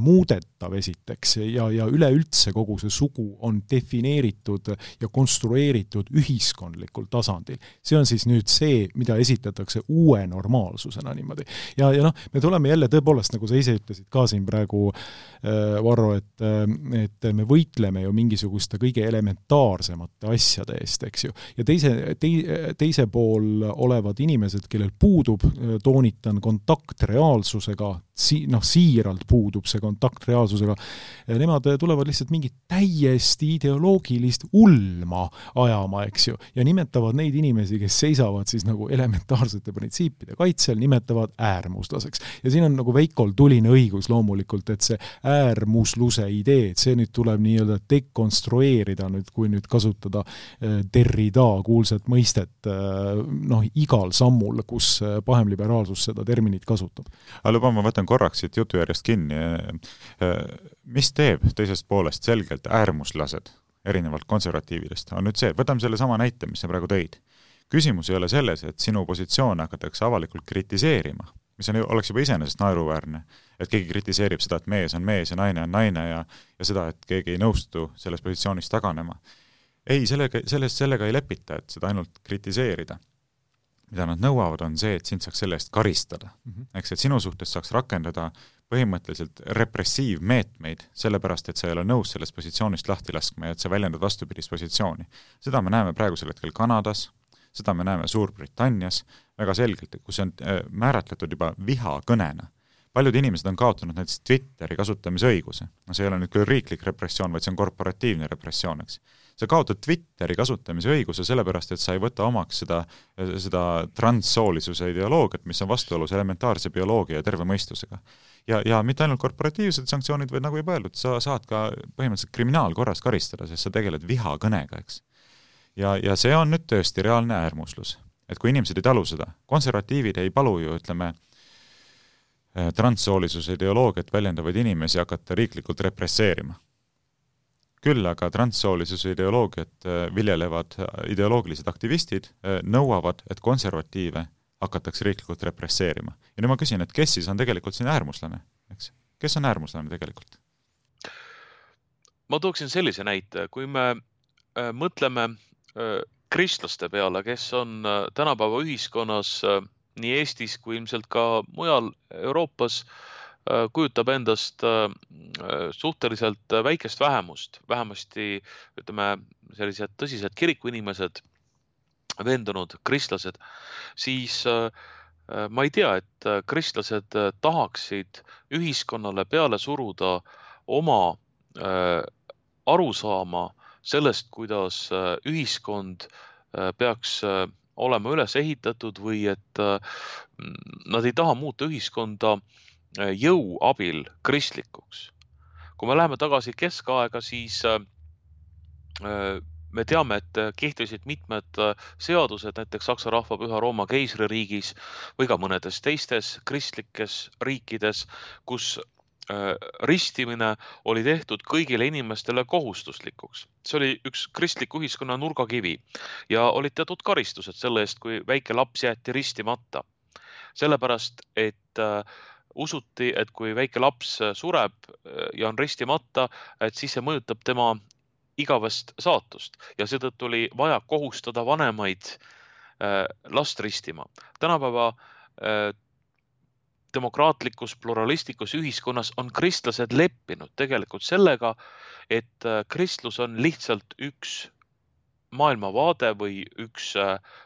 muudetav esiteks ja, ja üleüldse kogu see sugu on defineeritud ja konstrueeritud ühiskondlikul tasandil. See on siis nüüd see, mida esitatakse uue normaalsusena niimoodi. Ja, ja noh, me tuleme jälle tõepoolest, nagu sa ise ütlesid ka siin praegu, Varro, et, et me võitleme ju mingisuguste kõige elementaarsemate asjade eest, eks ju. Ja teise, teise, teise pool olevad inimesed, kellel puudub, toonitan, kontakt reaalsusega, si, noh, siiralt puudub see kontakt reaalsusega, nemad tulevad lihtsalt mingit täiesti ideoloogilist ulma ajama, eks ju, ja nimetavad neid inimesi, kes seisavad siis nagu elementaarsete printsiipide kaitsel, nimetavad äärmuslaseks. Ja siin on nagu Veikol tuline õigus loomulikult, et see äärmusluse idee, et see nüüd tuleb nii-öelda dekonstrueerida nüüd, kui nüüd kasutada Derrida kuulsat mõistet noh, igal sammul, kus pahemliberaalsus seda terminit kasutab. Aga luba, ma võtan korraks siit jutu järjest kinni. Mis teeb teisest poolest selgelt äärmuslased erinevalt konservatiividest? On nüüd see, võtame selle sama näite, mis sa praegu tõid. Küsimus ei ole selles, et sinu positsioon hakatakse avalikult kritiseerima, mis on, oleks juba iseenesest naeruväärne, et keegi kritiseerib seda, et mees on mees ja naine on naine ja, ja seda, et keegi ei nõustu selles positsioonis taganema. Ei, sellega, sellest, sellega ei lepita, et seda ainult kritiseerida. Mida nad nõuavad, on see, et sind saaks selle eest karistada. Mm-hmm. Eks, et sinu suhtes saaks rakendada põhimõtteliselt repressiivmeetmeid, sellepärast, et sa ei ole nõus sellest positsioonist lahti laskma ja et sa väljendad vastupidist positsiooni. Seda me näeme praegusel hetkel Kanadas, seda me näeme Suurbritannias väga selgelt, kus on määratletud juba vihakõnena. Paljud inimesed on kaotanud näiteks Twitteri kasutamise õiguse. No see ei ole nüüd küll riiklik repressioon, vaid see on korporatiivne repressioon, eks. Sa kaotad Twitteri kasutamise õiguse sellepärast, et sa ei võta omaks seda, seda transsoolisuse ideoloogiat, mis on vastuolus elementaarse bioloogia ja terve mõistusega. Ja, ja mitte ainult korporatiivsed sanktsioonid, vaid nagu juba öeldud, sa saad ka põhimõtteliselt kriminaalkorras karistada, sest sa tegeled vihakõnega, eks. Ja, ja see on nüüd tõesti reaalne äärmuslus. Et kui inimesed ei talu seda, konservatiivid ei palu ju, ütleme, transsoolisuse ideoloogiat väljendavaid inimesi hakata riiklikult represseerima. Küll aga transsoolisuse ideoloogiat viljelevad ideoloogilised aktivistid nõuavad, et konservatiive hakatakse riiklikult represseerima. Ja nüüd ma küsin, et kes siis on tegelikult siin äärmuslane? Eks? Kes on äärmuslane tegelikult? Ma tooksin sellise näite, kui me mõtleme kristlaste peale, kes on tänapäeva ühiskonnas nii Eestis kui ilmselt ka mujal Euroopas kujutab endast suhteliselt väikest vähemust, vähemasti ütleme sellised tõsised kirikuinimesed, veendunud kristlased, siis ma ei tea, et kristlased tahaksid ühiskonnale peale suruda oma arusaama sellest, kuidas ühiskond peaks olema üles ehitatud või et nad ei taha muuta ühiskonda jõu abil kristlikuks. kui me läheme tagasi keskaega, siis me teame, et kehtisid mitmed seadused, näiteks Saksa rahvapüha Rooma keisririigis või ka mõnedes teistes kristlikes riikides, kus ristimine oli tehtud kõigile inimestele kohustuslikuks. See oli üks kristliku ühiskonna nurgakivi ja olid teatud karistused selle eest, kui väike laps jäeti ristimata. Sellepärast, et usuti, et kui väike laps sureb ja on ristimata, et siis see mõjutab tema igavest saatust ja seetõttu oli vaja kohustada vanemaid last ristima. Tänapäeva demokraatlikus, pluralistlikus ühiskonnas on kristlased leppinud tegelikult sellega, et kristlus on lihtsalt üks maailmavaade või üks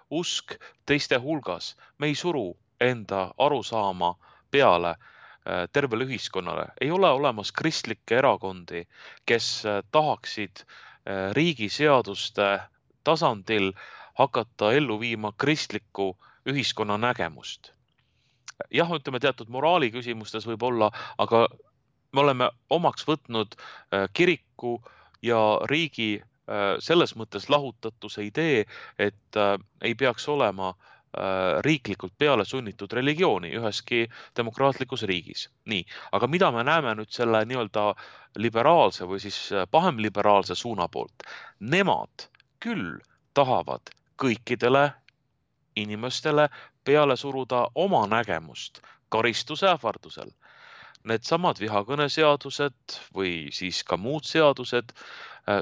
usk teiste hulgas. Me ei suru enda arusaama peale tervele ühiskonnale. Ei ole olemas kristlikke erakondi, kes tahaksid riigi seaduste tasandil hakata ellu viima kristlikku ühiskonna nägemust. Jah, ütleme teatud moraali küsimustes võib olla, aga me oleme omaks võtnud kiriku ja riigi selles mõttes lahutatuse idee, et ei peaks olema riiklikult peale sunnitud religiooni üheski demokraatlikus riigis. Nii, aga mida me näeme nüüd selle nii-öelda liberaalse või siis pahemliberaalse suuna poolt? Nemad küll tahavad kõikidele inimestele peale suruda oma nägemust karistuse ähvardusel. Need samad vihakõneseadused või siis ka muud seadused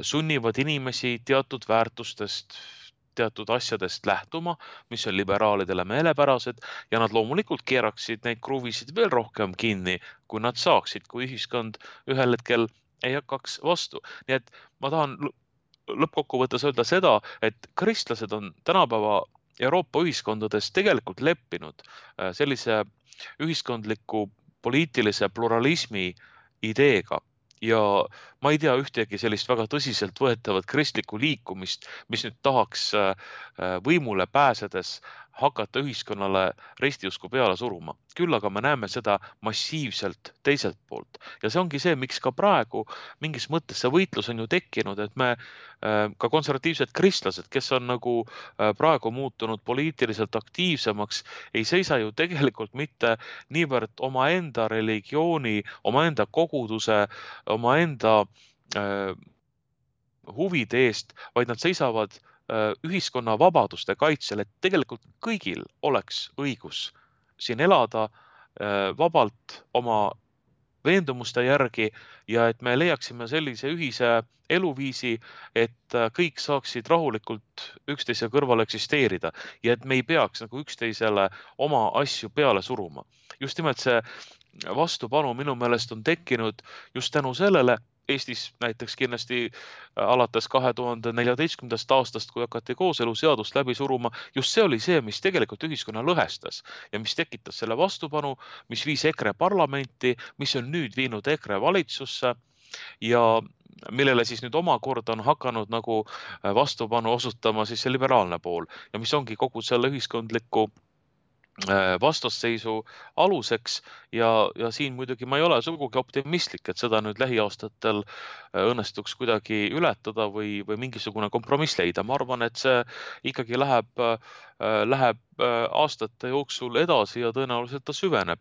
sunnivad inimesi teatud väärtustest, teatud asjadest lähtuma, mis on liberaalidele meelepärased ja nad loomulikult keeraksid neid kruvisid veel rohkem kinni, kui nad saaksid, kui ühiskond ühel hetkel ei hakkaks vastu. Nii et ma tahan lõppkokkuvõttes öelda seda, et kristlased on tänapäeva Euroopa ühiskondades tegelikult leppinud sellise ühiskondliku poliitilise pluralismi ideega. Ja ma ei tea ühtegi sellist väga tõsiselt võetavat kristlikku liikumist, mis nüüd tahaks võimule pääsedes hakata ühiskonnale ristiusku peale suruma. Küll aga me näeme seda massiivselt teiselt poolt. Ja see ongi see, miks ka praegu mingis mõttes see võitlus on ju tekkinud, et me ka konservatiivsed kristlased, kes on nagu praegu muutunud poliitiliselt aktiivsemaks, ei seisa ju tegelikult mitte niivõrd oma enda religiooni, oma enda koguduse, oma enda huvide eest, vaid nad seisavad ühiskonna vabaduste kaitsel, et tegelikult kõigil oleks õigus siin elada vabalt oma veendumuste järgi ja et me leiaksime sellise ühise eluviisi, et kõik saaksid rahulikult üksteise kõrval eksisteerida ja et me ei peaks nagu üksteisele oma asju peale suruma. Just nimelt see vastupanu minu meelest on tekkinud just tänu sellele, Eestis näiteks kindlasti alates kahe tuhande neljateistkümnendast aastast, kui hakati kooseluseadust läbi suruma, just see oli see, mis tegelikult ühiskonna lõhestas ja mis tekitas selle vastupanu, mis viis EKRE parlamenti, mis on nüüd viinud EKRE valitsusse ja millele siis nüüd omakorda on hakanud nagu vastupanu osutama siis see liberaalne pool ja mis ongi kogu selle ühiskondliku vastasseisu aluseks ja, ja siin muidugi ma ei ole sugugi optimistlik, et seda nüüd lähiaastatel õnnestuks kuidagi ületada või, või mingisugune kompromiss leida. Ma arvan, et see ikkagi läheb, läheb aastate jooksul edasi ja tõenäoliselt ta süveneb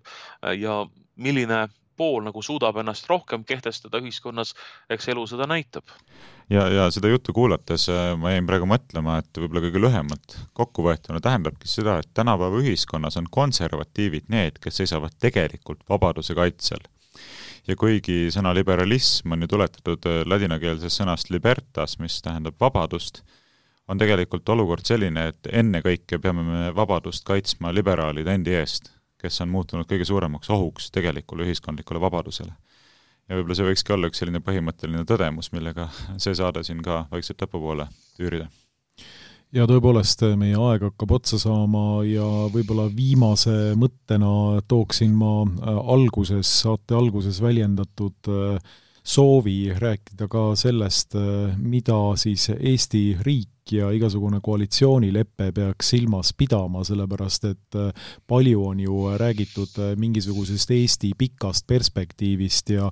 ja milline pool nagu suudab ennast rohkem kehtestada ühiskonnas, eks elu seda näitab. Ja, ja seda juttu kuulates ma jäin praegu mõtlema, et võib-olla kõige lühemalt kokkuvõetuna tähendabki seda, et tänapäeva ühiskonnas on konservatiivid need, kes seisavad tegelikult vabaduse kaitsel. Ja kuigi sõna liberalism on ju tuletatud ladinakeelsest sõnast libertas, mis tähendab vabadust, on tegelikult olukord selline, et enne kõike peame me vabadust kaitsma liberaalide endi eest, kes on muutunud kõige suuremaks ohuks tegelikule ühiskondlikule vabadusele. Ja võib-olla see võikski olla üks selline põhimõtteline tõdemus, millega see saade siin ka vaikselt lõpupoole tüürida. Ja tõepoolest meie aeg hakkab otsa saama ja võib-olla viimase mõttena tooksin ma alguses, saate alguses väljendatud soovi rääkida ka sellest, mida siis Eesti riik ja igasugune koalitsioonileppe peaks silmas pidama, sellepärast et palju on ju räägitud mingisugusest Eesti pikast perspektiivist ja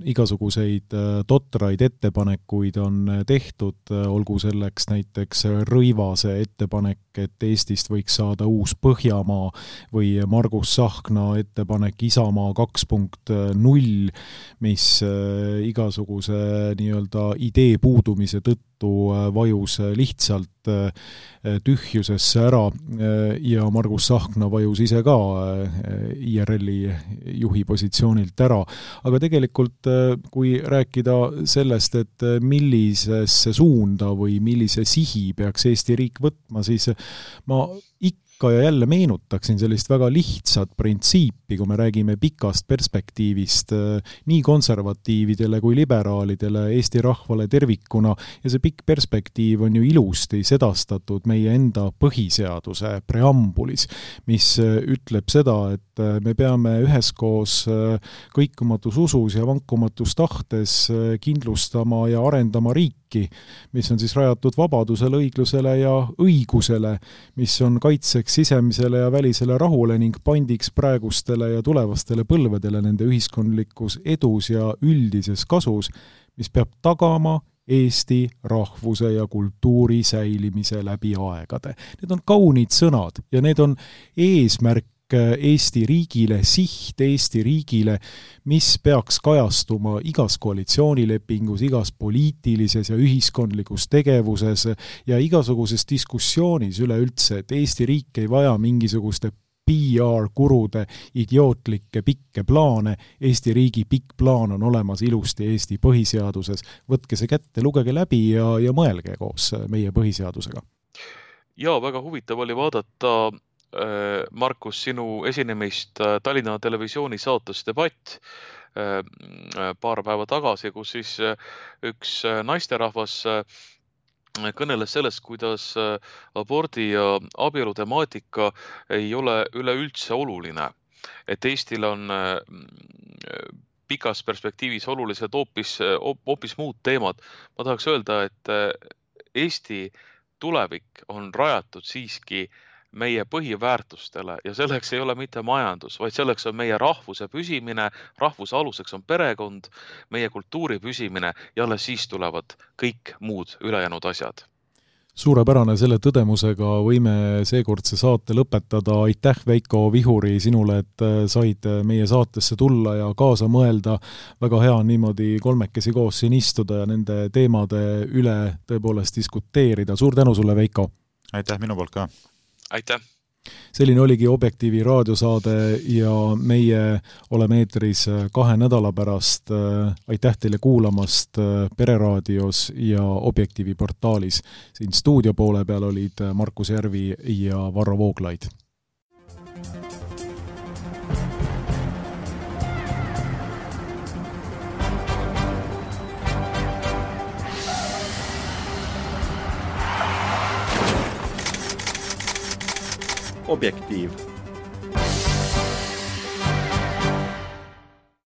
igasuguseid totraid ettepanekuid on tehtud, olgu selleks näiteks Rõivase ettepanek, et Eestist võiks saada uus Põhjamaa või Margus Sahkna ettepanek Isamaa kaks punkt null, mis igasuguse nii-öelda idee puudumise tõttu vajus lihtsalt tühjusesse ära ja Margus Sahkna vajus ise ka I R L-i juhi positsioonilt ära. Aga tegelikult, kui rääkida sellest, et millisesse suunda või millise sihi peaks Eesti riik võtma, siis ma ikka ja jälle meenutaksin sellist väga lihtsat printsiipi, kui me räägime pikast perspektiivist nii konservatiividele kui liberaalidele, Eesti rahvale tervikuna, ja see pikk perspektiiv on ju ilusti sedastatud meie enda põhiseaduse preambulis, mis ütleb seda, et me peame üheskoos kõikumatus usus ja vankumatus tahtes kindlustama ja arendama riiki, mis on siis rajatud vabadusele, õiglusele ja õigusele, mis on kaitseks sisemisele ja välisele rahule ning pandiks praegustele ja tulevastele põlvedele nende ühiskondlikus edus ja üldises kasus, mis peab tagama Eesti rahvuse ja kultuuri säilimise läbi aegade. Need on kaunid sõnad ja need on eesmärk Eesti riigile, siht Eesti riigile, mis peaks kajastuma igas koalitsioonilepingus, igas poliitilises ja ühiskondlikus tegevuses ja igasuguses diskussioonis üleüldse, et Eesti riik ei vaja mingisuguste P R-kurude idiootlikke pikke plaane. Eesti riigi pikk plaan on olemas ilusti Eesti põhiseaduses. Võtke see kätte, lugege läbi ja, ja mõelge koos meie põhiseadusega. Ja, väga huvitav oli vaadata Markus, sinu esinemist Tallinna televisiooni saates Debatt paar päeva tagasi, kus siis üks naisterahvas kõneles sellest, kuidas abordi ja abielu temaatika ei ole üleüldse oluline. Et Eestil on pikas perspektiivis olulised hoopis, hoopis muud teemad. Ma tahaks öelda, et Eesti tulevik on rajatud siiski meie põhiväärtustele ja selleks ei ole mitte majandus, vaid selleks on meie rahvuse püsimine, rahvuse aluseks on perekond, meie kultuuri püsimine ja alles siis tulevad kõik muud ülejäänud asjad. Suurepärane, selle tõdemusega võime seekordse saate lõpetada. Aitäh, Veiko Vihuri, sinule, et said meie saatesse tulla ja kaasa mõelda. Väga hea on niimoodi kolmekesi koos siin istuda ja nende teemade üle tõepoolest diskuteerida. Suur tänu sulle, Veiko! Aitäh minu poolt ka! Aitäh! Selline oligi Objektiivi raadiosaade ja meie oleme eetris kahe nädala pärast. Aitäh teile kuulamast Pereraadios ja Objektiivi portaalis. Siin stuudio poole peal olid Markus Järvi ja Varro Vooglaid. Objektiiv.